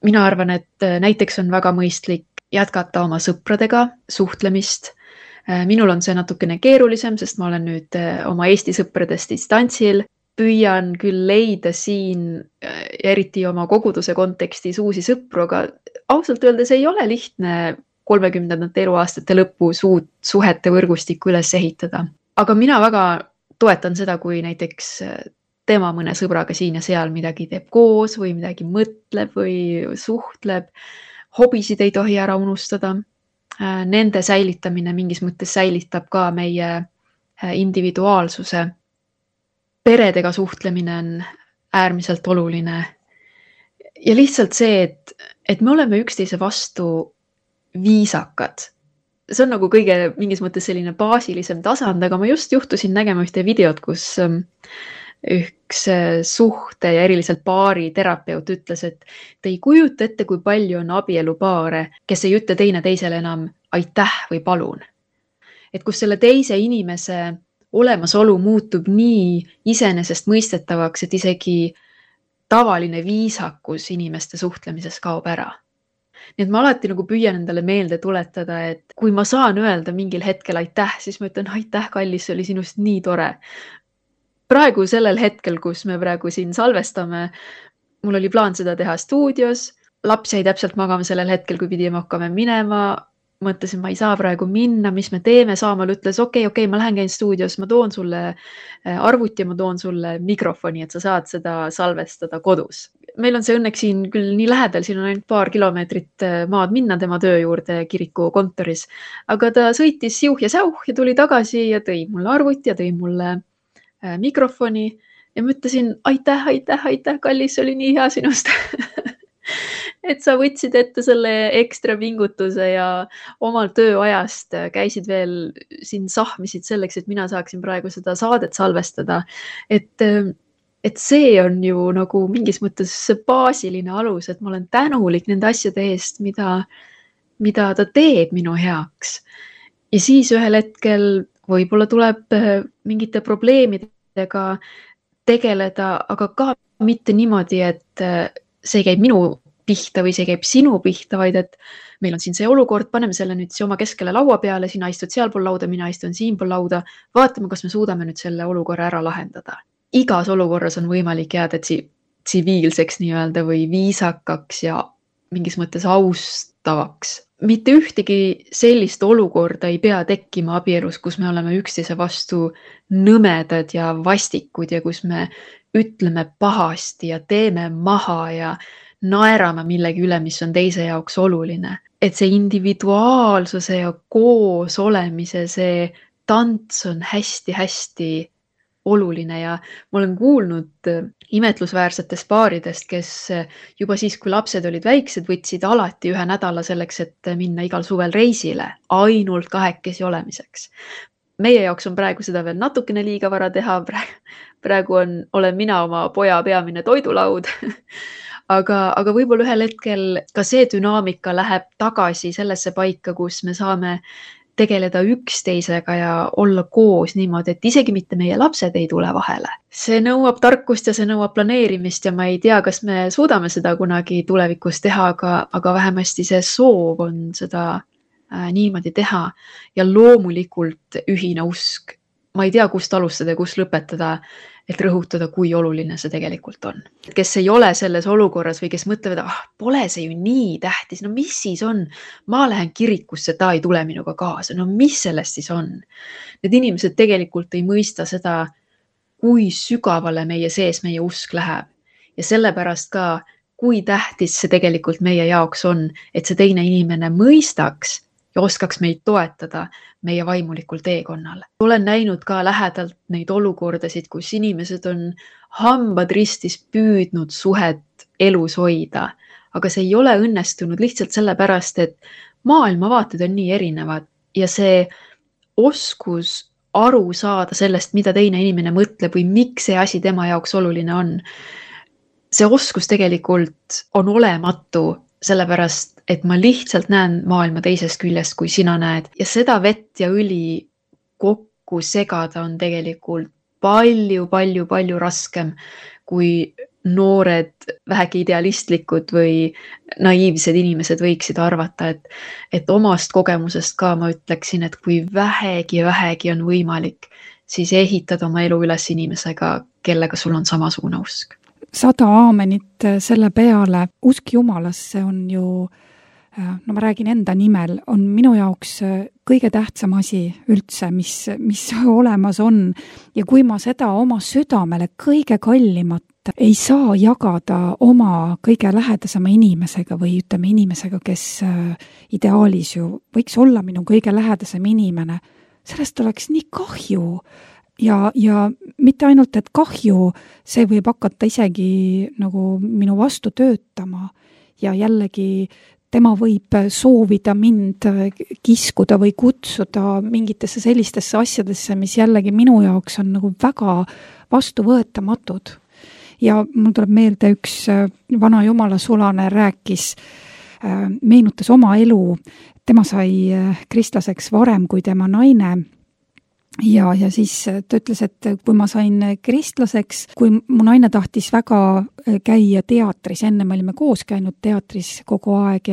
Speaker 1: Mina arvan, et näiteks on väga mõistlik jätkata oma sõpradega suhtlemist. Minul on see natukene keerulisem, sest ma olen nüüd oma Eesti sõpradest distantsil. Püüan küll leida siin, eriti oma koguduse kontekstis uusi sõpru, aga ausalt öeldes ei ole lihtne 30. eluaastate lõpus uut suhete võrgustikku üles ehitada. Aga mina väga toetan seda, kui näiteks tema mõne sõbraga siin ja seal midagi teeb koos või midagi mõtleb või suhtleb. Hobisid ei tohi ära unustada. Nende säilitamine mingis mõttes säilitab ka meie individuaalsuse. Peredega suhtlemine on äärmiselt oluline. Ja lihtsalt see, et me oleme üksteise vastu viisakad. See on nagu kõige mingis mõttes selline baasilisem tasand, aga ma just juhtusin nägema ühte videot, kus üks suhte ja eriliselt paari terapeut ütles, et te ei kujuta ette, kui palju on abielupaare, kes ei ütle teine teisele enam aitäh või palun. Et kus selle teise inimese olemasolu muutub nii iseenesest mõistetavaks, et isegi tavaline viisakus inimeste suhtlemises kaob ära. Nii et ma alati nagu püüan endale meelde tuletada, et kui ma saan öelda mingil hetkel aitäh, siis ma ütlen aitäh, kallis, see oli sinust nii tore. Praegu sellel hetkel, kus me praegu siin salvestame, mul oli plaan seda teha stuudios, laps jäi täpselt magama sellel hetkel, kui pidime hakkame minema, mõtlesin, ma ei saa praegu minna, mis me teeme, Saamal ütles, okei, ma lähen käin stuudios, ma toon sulle arvuti ja ma toon sulle mikrofoni, et sa saad seda salvestada kodus. Meil on see õnneks siin küll nii lähedal, siin on ainult paar kilomeetrit maad minna tema töö juurde kiriku kontoris, aga ta sõitis siuh ja säuh ja tuli tagasi ja tõi mulle arvuti ja tõi mulle mikrofoni ja ma ütlesin aitäh, kallis, see oli nii hea sinust. Et sa võtsid ette selle ekstra pingutuse ja omal tööajast käisid veel siin sahmisid selleks, et mina saaksin praegu seda saadet salvestada. Et see on ju nagu mingis mõttes baasiline alus, et ma olen tänulik nende asjade eest, mida ta teeb minu heaks. Ja siis ühel hetkel võib-olla tuleb mingite probleemidega tegeleda, aga ka mitte niimoodi, et see käib minu pihta või see käib sinu pihta, vaid et meil on siin see olukord, paneme selle nüüd oma keskele laua peale, sina istud sealpool lauda, mina istun siinpool lauda, vaatame, kas me suudame nüüd selle olukorra ära lahendada. Igas olukorras on võimalik jääda tsiviilseks nii-öelda või viisakaks ja mingis mõttes austavaks. Mitte ühtegi sellist olukorda ei pea tekkima abielus, kus me oleme üksteise vastu nõmedad ja vastikud ja kus me ütleme pahasti ja teeme maha ja naerame millegi üle, mis on teise jaoks oluline. Et see individuaalsuse ja koos olemise, see tants on hästi-hästi oluline ja ma olen kuulnud imetlusväärsetest paaridest, kes juba siis, kui lapsed olid väiksed, võtsid alati 1 nädala selleks, et minna igal suvel reisile, ainult 2 olemiseks. Meie jaoks on praegu seda veel natukene liiga vara teha, praegu olen mina oma poja peamine toidulaud, aga võib-olla ühel hetkel ka see dünaamika läheb tagasi sellesse paika, kus me saame tegeleda üksteisega ja olla koos niimoodi, et isegi mitte meie lapsed ei tule vahele. See nõuab tarkust ja see nõuab planeerimist ja ma ei tea, kas me suudame seda kunagi tulevikus teha, aga vähemasti see soov on seda niimoodi teha ja loomulikult ühine usk. Ma ei tea, kust alustada ja kust lõpetada, et rõhutada, kui oluline see tegelikult on. Kes ei ole selles olukorras või kes mõtlevad, pole see ju nii tähtis, no mis siis on? Ma lähen kirikusse, ta ei tule minuga kaasa, no mis sellest siis on? Need inimesed tegelikult ei mõista seda, kui sügavale meie sees meie usk läheb. Ja sellepärast ka, kui tähtis see tegelikult meie jaoks on, et see teine inimene mõistaks ja oskaks meid toetada meie vaimulikul teekonnal. Olen näinud ka lähedalt neid olukordasid, kus inimesed on hambad ristis püüdnud suhet elus hoida, aga see ei ole õnnestunud lihtsalt sellepärast, et maailmavaated on nii erinevad ja see oskus aru saada sellest, mida teine inimene mõtleb või miks see asi tema jaoks oluline on. See oskus tegelikult on olematu, sellepärast, et ma lihtsalt näen maailma teisest küljest, kui sina näed. Ja seda vett ja õli kokku segada on tegelikult palju raskem, kui noored, vähegi idealistlikud või naiivsed inimesed võiksid arvata, et omast kogemusest ka ma ütleksin, et kui vähegi on võimalik, siis ehitada oma elu üles inimesega, kellega sul on samasugune usk.
Speaker 2: 100 aamenit selle peale. Usk Jumalasse on ju, no ma räägin enda nimel, on minu jaoks kõige tähtsam asi üldse, mis olemas on. Ja kui ma seda oma südamele kõige kallimat ei saa jagada oma kõige lähedasema inimesega või ütleme inimesega, kes ideaalis ju võiks olla minu kõige lähedasem inimene, sellest oleks nii kahju. Ja mitte ainult, et kahju, see võib hakata isegi nagu minu vastu töötama ja jällegi tema võib soovida mind kiskuda või kutsuda mingitesse sellistesse asjadesse, mis jällegi minu jaoks on nagu väga vastuvõetamatud. Ja mul tuleb meelde üks vana jumala sulane rääkis, meenutas oma elu. Tema sai kristlaseks varem kui tema naine. Ja siis ta ütles, et kui ma sain kristlaseks, kui mu naine tahtis väga käia teatris, enne me olime koos käinud teatris kogu aeg,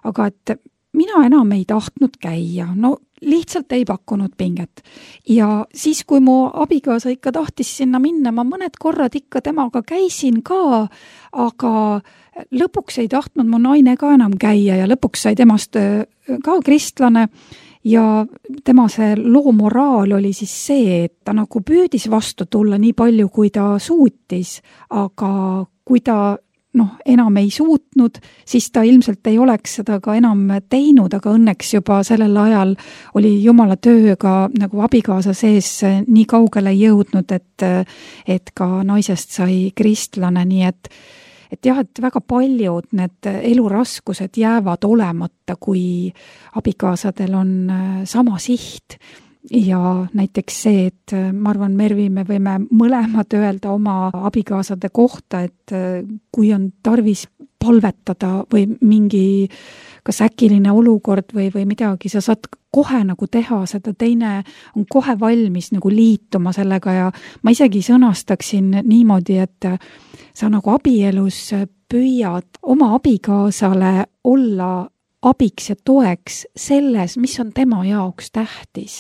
Speaker 2: aga et mina enam ei tahtnud käia, no lihtsalt ei pakkunud pinget. Ja siis, kui mu abikaasa ikka tahtis sinna minna, ma mõned korrad ikka temaga käisin ka, aga lõpuks ei tahtnud mu naine ka enam käia ja lõpuks sai temast ka kristlane. Ja tema see loomoraal oli siis see, et ta nagu püüdis vastu tulla nii palju, kui ta suutis, aga kui ta enam ei suutnud, siis ta ilmselt ei oleks seda ka enam teinud, aga õnneks juba sellel ajal oli Jumala tööga nagu abikaasa sees nii kaugele jõudnud, et ka naisest sai kristlane, nii et jah, et väga paljud need eluraskused jäävad olemata, kui abikaasadel on sama siht. Ja näiteks see, et ma arvan, Mervi, me võime mõlemad öelda oma abikaasade kohta, et kui on tarvis palvetada või mingi kas äkiline olukord või midagi, sa saad kohe nagu teha seda, teine on kohe valmis nagu liituma sellega ja ma isegi sõnastaksin niimoodi, et sa nagu abielus püüad oma abikaasale olla abiks ja toeks selles, mis on tema jaoks tähtis.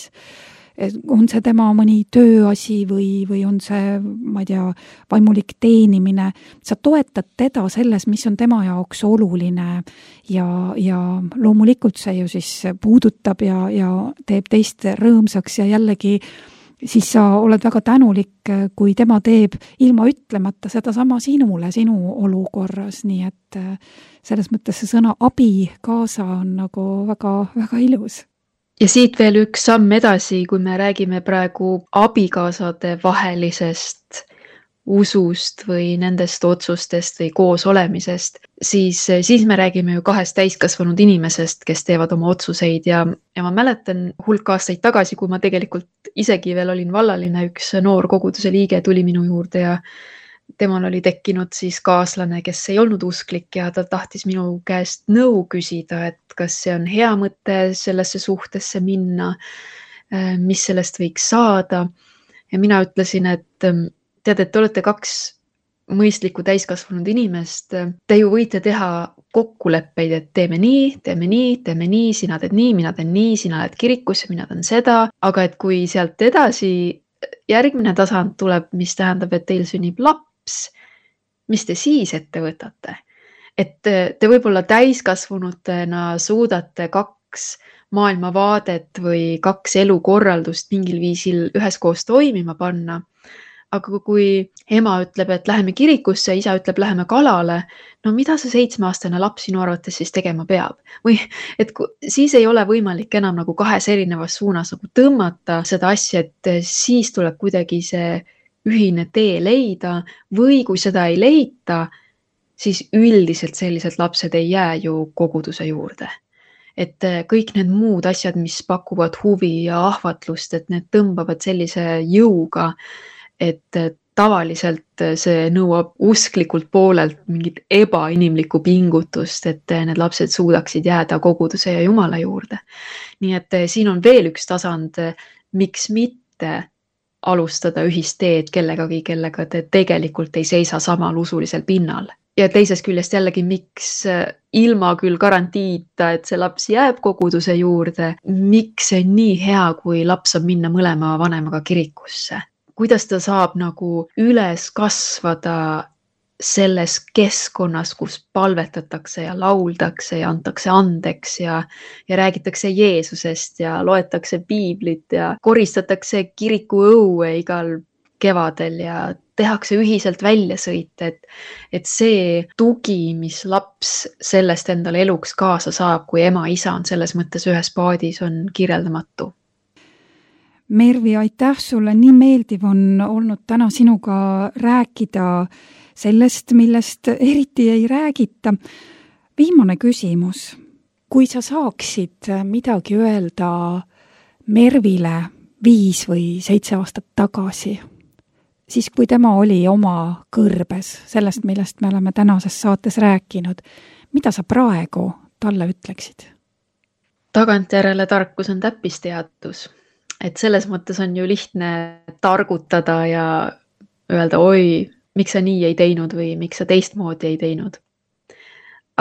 Speaker 2: On see tema mõni tööasi või on see, ma ei tea, vaimulik teenimine. Sa toetad teda selles, mis on tema jaoks oluline ja loomulikult see ju siis puudutab ja teeb teist rõõmsaks ja jällegi siis sa oled väga tänulik, kui tema teeb ilma ütlemata seda sama sinule, sinu olukorras, nii et selles mõttes see sõna abikaasa on nagu väga, väga ilus.
Speaker 1: Ja siit veel üks samm edasi, kui me räägime praegu abikaasade vahelisest usust või nendest otsustest või koos olemisest, siis me räägime ju kahest täiskasvanud inimesest, kes teevad oma otsuseid ja ma mäletan hulk aastaid tagasi, kui ma tegelikult isegi veel olin vallaline, üks noor koguduse liige tuli minu juurde ja temal oli tekkinud siis kaaslane, kes ei olnud usklik ja ta tahtis minu käest nõu küsida, et kas see on hea mõte sellesse suhtesse minna, mis sellest võiks saada. Ja mina ütlesin, et tead, et te olete kaks mõistlikku täiskasvanud inimest, te ju võite teha kokkuleppeid, et teeme nii, sina teed nii, mina teen nii, sina lähed kirikusse, mina teen seda, aga et kui sealt edasi järgmine tasand tuleb, mis tähendab, et teil sünnib laps, mis te siis ette võtate? Et te võib-olla täiskasvanutena suudate kaks maailmavaadet või kaks elukorraldust mingil viisil üheskoos toimima panna. Aga kui ema ütleb, et läheme kirikusse, isa ütleb, läheme kalale, no mida see 7-aastane laps sinu arvates siis tegema peab? Või et siis ei ole võimalik enam nagu kahes erinevas suunas nagu tõmmata seda asja, et siis tuleb kuidagi see ühine tee leida või kui seda ei leita, siis üldiselt sellised lapsed ei jää ju koguduse juurde. et kõik need muud asjad, mis pakuvad huvi ja ahvatlust, et need tõmbavad sellise jõuga, et tavaliselt see nõuab usklikult poolelt mingit ebainimlikku pingutust, et need lapsed suudaksid jääda koguduse ja Jumala juurde. Nii et siin on veel üks tasand, miks mitte alustada ühist teed kellegagi, kellega te tegelikult ei seisa samal usulisel pinnal. Ja teisest küljest jällegi, miks ilma küll garantiita, et see laps jääb koguduse juurde, miks see on nii hea, kui laps saab minna mõlema vanemaga kirikusse. Kuidas ta saab nagu üles kasvada selles keskkonnas, kus palvetatakse ja lauldakse ja antakse andeks ja räägitakse Jeesusest ja loetakse piiblit ja koristatakse kiriku õue igal kevadel ja tehakse ühiselt väljasõite, et see tugi, mis laps sellest endale eluks kaasa saab, kui ema, isa on selles mõttes ühes paadis, on kirjeldamatu.
Speaker 2: Mervi, aitäh sulle, nii meeldiv on olnud täna sinuga rääkida sellest, millest eriti ei räägita. Viimane küsimus. Kui sa saaksid midagi öelda Mervile 5 või 7 aastat tagasi, siis kui tema oli oma kõrbes sellest, millest me oleme tänases saates rääkinud, mida sa praegu talle ütleksid?
Speaker 1: Tagantjärele tarkus on täppisteadus. Et selles mõttes on ju lihtne targutada ja öelda, oi, miks sa nii ei teinud või miks sa teistmoodi ei teinud.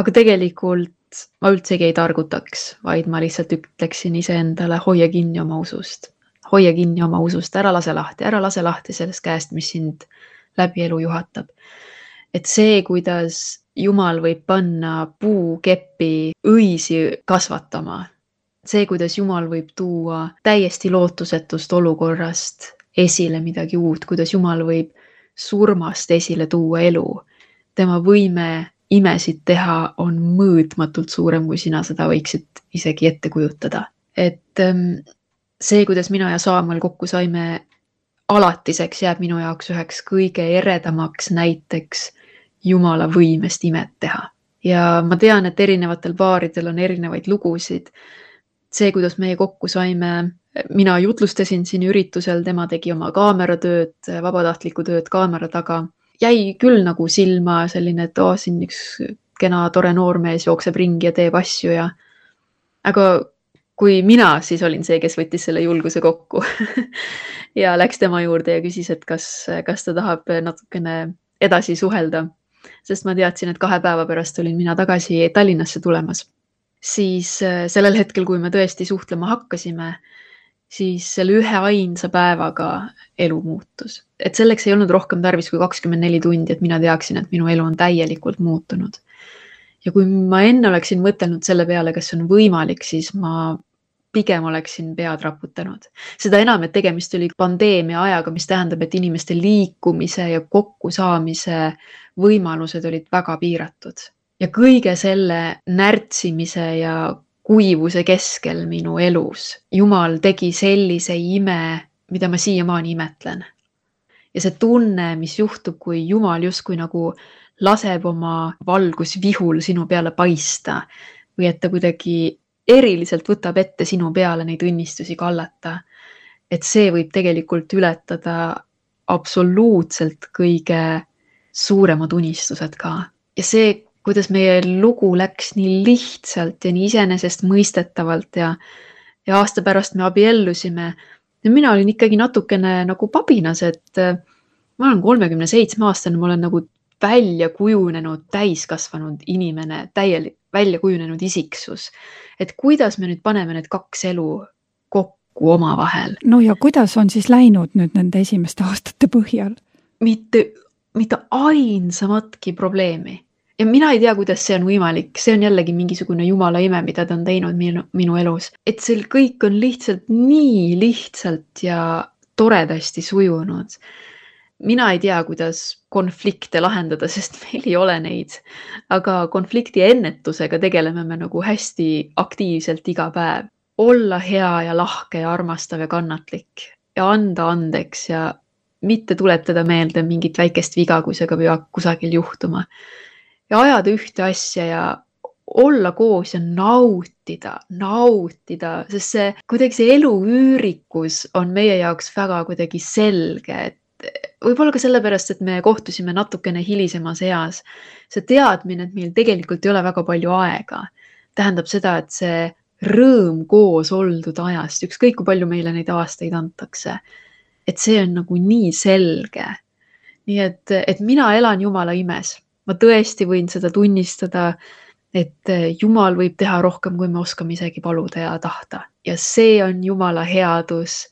Speaker 1: Aga tegelikult ma üldsegi ei targutaks, vaid ma lihtsalt ütleksin iseendale, hoia kinni oma usust. Hoia kinni oma usust, ära lase lahti sellest käest, mis sind läbi elu juhatab. Et see, kuidas Jumal võib panna puukeppi õisi kasvatama, see, kuidas Jumal võib tuua täiesti lootusetust olukorrast esile midagi uut, kuidas Jumal võib surmast esile tuua elu. Tema võime imesid teha on mõõtmatult suurem, kui sina seda võiksid isegi ette kujutada. Et see, kuidas mina ja Saamuel kokku saime, alatiseks jääb minu jaoks üheks kõige eredamaks näiteks Jumala võimest imet teha. Ja ma tean, et erinevatel paaridel on erinevaid lugusid. See, kuidas meie kokku saime, mina jutlustasin siin üritusel, tema tegi oma kaameratööd, vabatahtlikku tööd kaamera taga. Jäi küll nagu silma selline, et siin üks kena tore noormees jookseb ringi ja teeb asju. Aga kui mina siis olin see, kes võttis selle julguse kokku ja läks tema juurde ja küsis, et kas ta tahab natukene edasi suhelda, sest ma teadsin, et 2 päeva pärast olin mina tagasi Tallinnasse tulemas. Siis sellel hetkel, kui me tõesti suhtlema hakkasime, siis selle 1 ainsa päevaga elu muutus. Et selleks ei olnud rohkem tarvis kui 24 tundi, et mina teaksin, et minu elu on täielikult muutunud. Ja kui ma enne oleksin mõtelnud selle peale, kas on võimalik, siis ma pigem oleksin pead raputanud. Seda enam, et tegemist oli pandeemia ajaga, mis tähendab, et inimeste liikumise ja kokkusaamise võimalused olid väga piiratud. Ja kõige selle närtsimise ja kuivuse keskel minu elus Jumal tegi sellise ime, mida ma siiamaani imetlen. Ja see tunne, mis juhtub, kui Jumal justkui nagu laseb oma valgusvihul sinu peale paista või et ta kuidagi eriliselt võtab ette sinu peale neid õnnistusi kallata, et see võib tegelikult ületada absoluutselt kõige suuremad unistused ka. Ja see, kuidas meie lugu läks nii lihtsalt ja nii iseenesest mõistetavalt ja aasta pärast me abiellusime. Ja mina olin ikkagi natukene nagu pabinas, et ma olen 37-aastane, ma olen nagu välja kujunenud, täiskasvanud inimene, välja kujunenud isiksus. Et kuidas me nüüd paneme need 2 elu kokku oma vahel?
Speaker 2: No ja kuidas on siis läinud nüüd nende esimeste aastate põhjal?
Speaker 1: Mitte ainsamatki probleemi. Ja mina ei tea, kuidas see on võimalik. See on jällegi mingisugune Jumala ime, mida ta on teinud minu elus. Et see kõik on lihtsalt nii lihtsalt ja toredasti sujunud. Mina ei tea, kuidas konflikte lahendada, sest meil ei ole neid. Aga konflikti ennetusega tegeleme me nagu hästi aktiivselt iga päev. Olla hea ja lahke ja armastav ja kannatlik ja anda andeks ja mitte tuletada meelde mingit väikest viga, kui see peab kusagil juhtuma. Ja ajada ühte asja ja olla koos ja nautida, sest see kuidagi see elu üürikus on meie jaoks väga kuidagi selge, et võib-olla ka sellepärast, et me kohtusime natukene hilisemas eas. See teadmine, et meil tegelikult ei ole väga palju aega, tähendab seda, et see rõõm koos oldud ajast, ükskõik kui palju meile neid aastaid antakse, et see on nagu nii selge. Nii et mina elan Jumala imes. Ma tõesti võin seda tunnistada, et Jumal võib teha rohkem, kui me oskame isegi paluda ja tahta. Ja see on Jumala headus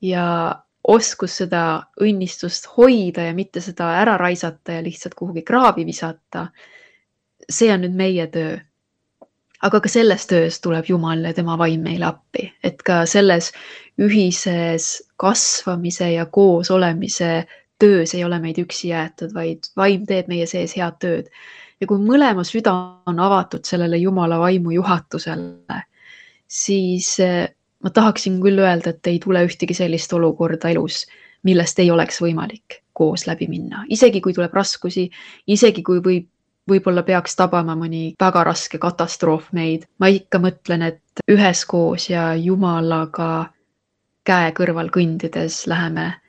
Speaker 1: ja oskus seda õnnistust hoida ja mitte seda ära raisata ja lihtsalt kuhugi kraavi visata. See on nüüd meie töö. Aga ka selles töös tuleb Jumal ja tema vaim meile appi, et ka selles ühises kasvamise ja koos olemise töös ei ole meid üksi jäetud, vaid vaim teeb meie sees head tööd. Ja kui mõlema süda on avatud sellele Jumala vaimu juhatusele, siis ma tahaksin küll öelda, et ei tule ühtegi sellist olukorda elus, millest ei oleks võimalik koos läbi minna. Isegi kui tuleb raskusi, isegi kui võib-olla peaks tabama mõni väga raske katastroof meid. Ma ikka mõtlen, et üheskoos ja Jumalaga käe kõrval kõndides läheme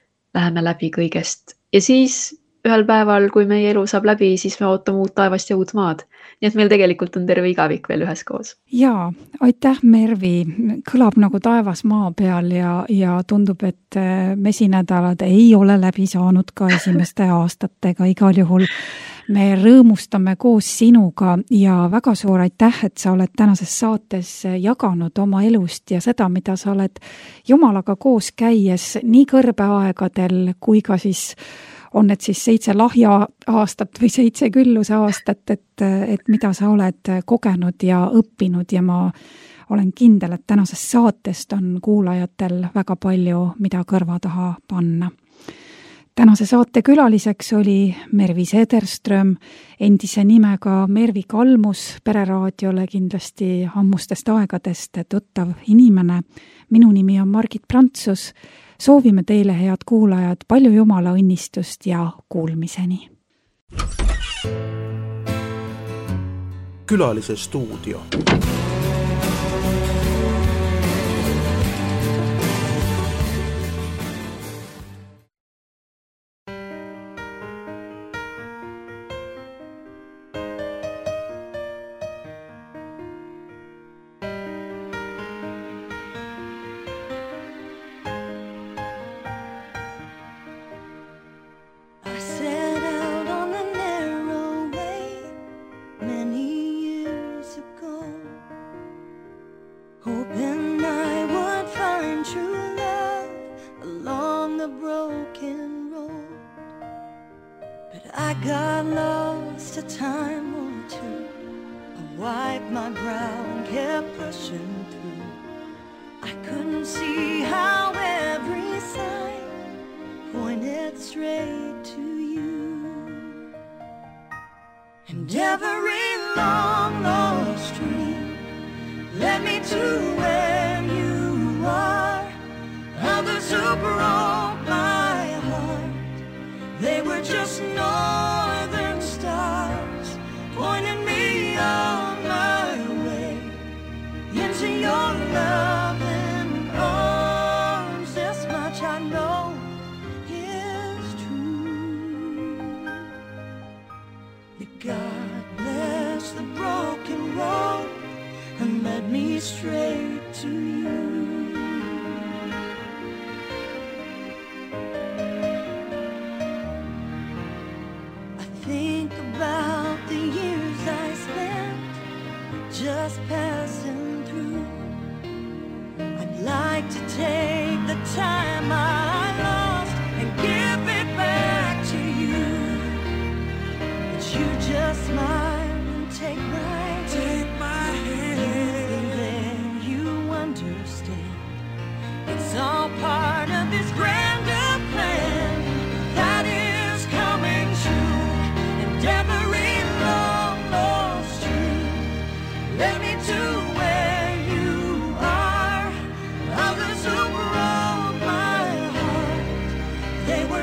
Speaker 1: läbi kõigest. Ja siis ühel päeval, kui meie elu saab läbi, siis me ootame uut taevast ja uut maad. Nii et meil tegelikult on terve igavik veel üheskoos.
Speaker 2: Jaa, aitäh Mervi. Kõlab nagu taevas maa peal ja tundub, et mesinädalad ei ole läbi saanud ka esimeste aastatega. Igal juhul me rõõmustame koos sinuga ja väga suur aitäh, et sa oled tänases saates jaganud oma elust ja seda, mida sa oled Jumalaga koos käies nii kõrbeaegadel kui ka siis on need siis 7 lahja aastat või 7 külluse aastat, et mida sa oled kogenud ja õppinud ja ma olen kindel, et tänasest saatest on kuulajatel väga palju, mida kõrva taha panna. Tänase saate külaliseks oli Mervi Sederström, endise nimega Mervi Kalmus, Pereraadiole kindlasti ammustest aegadest tuttav inimene. Minu nimi on Margit Prantsus. Soovime teile, head kuulajad, palju Jumala õnnistust ja kuulmiseni.
Speaker 3: Külalise stuudio.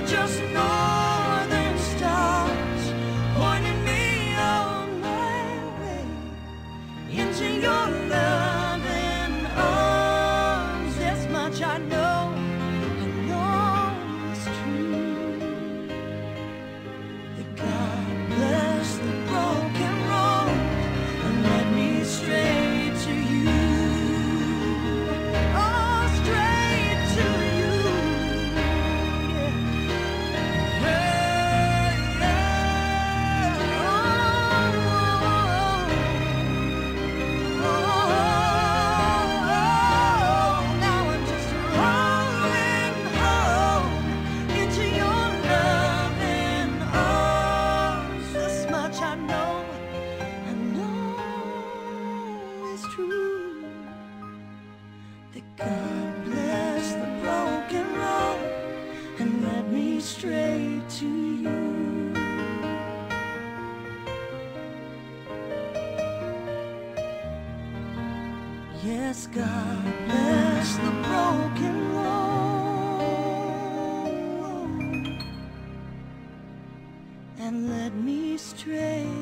Speaker 4: Just northern stars pointing me on true that God bless the broken road and led me straight to you. Yes, God bless the broken road and led me straight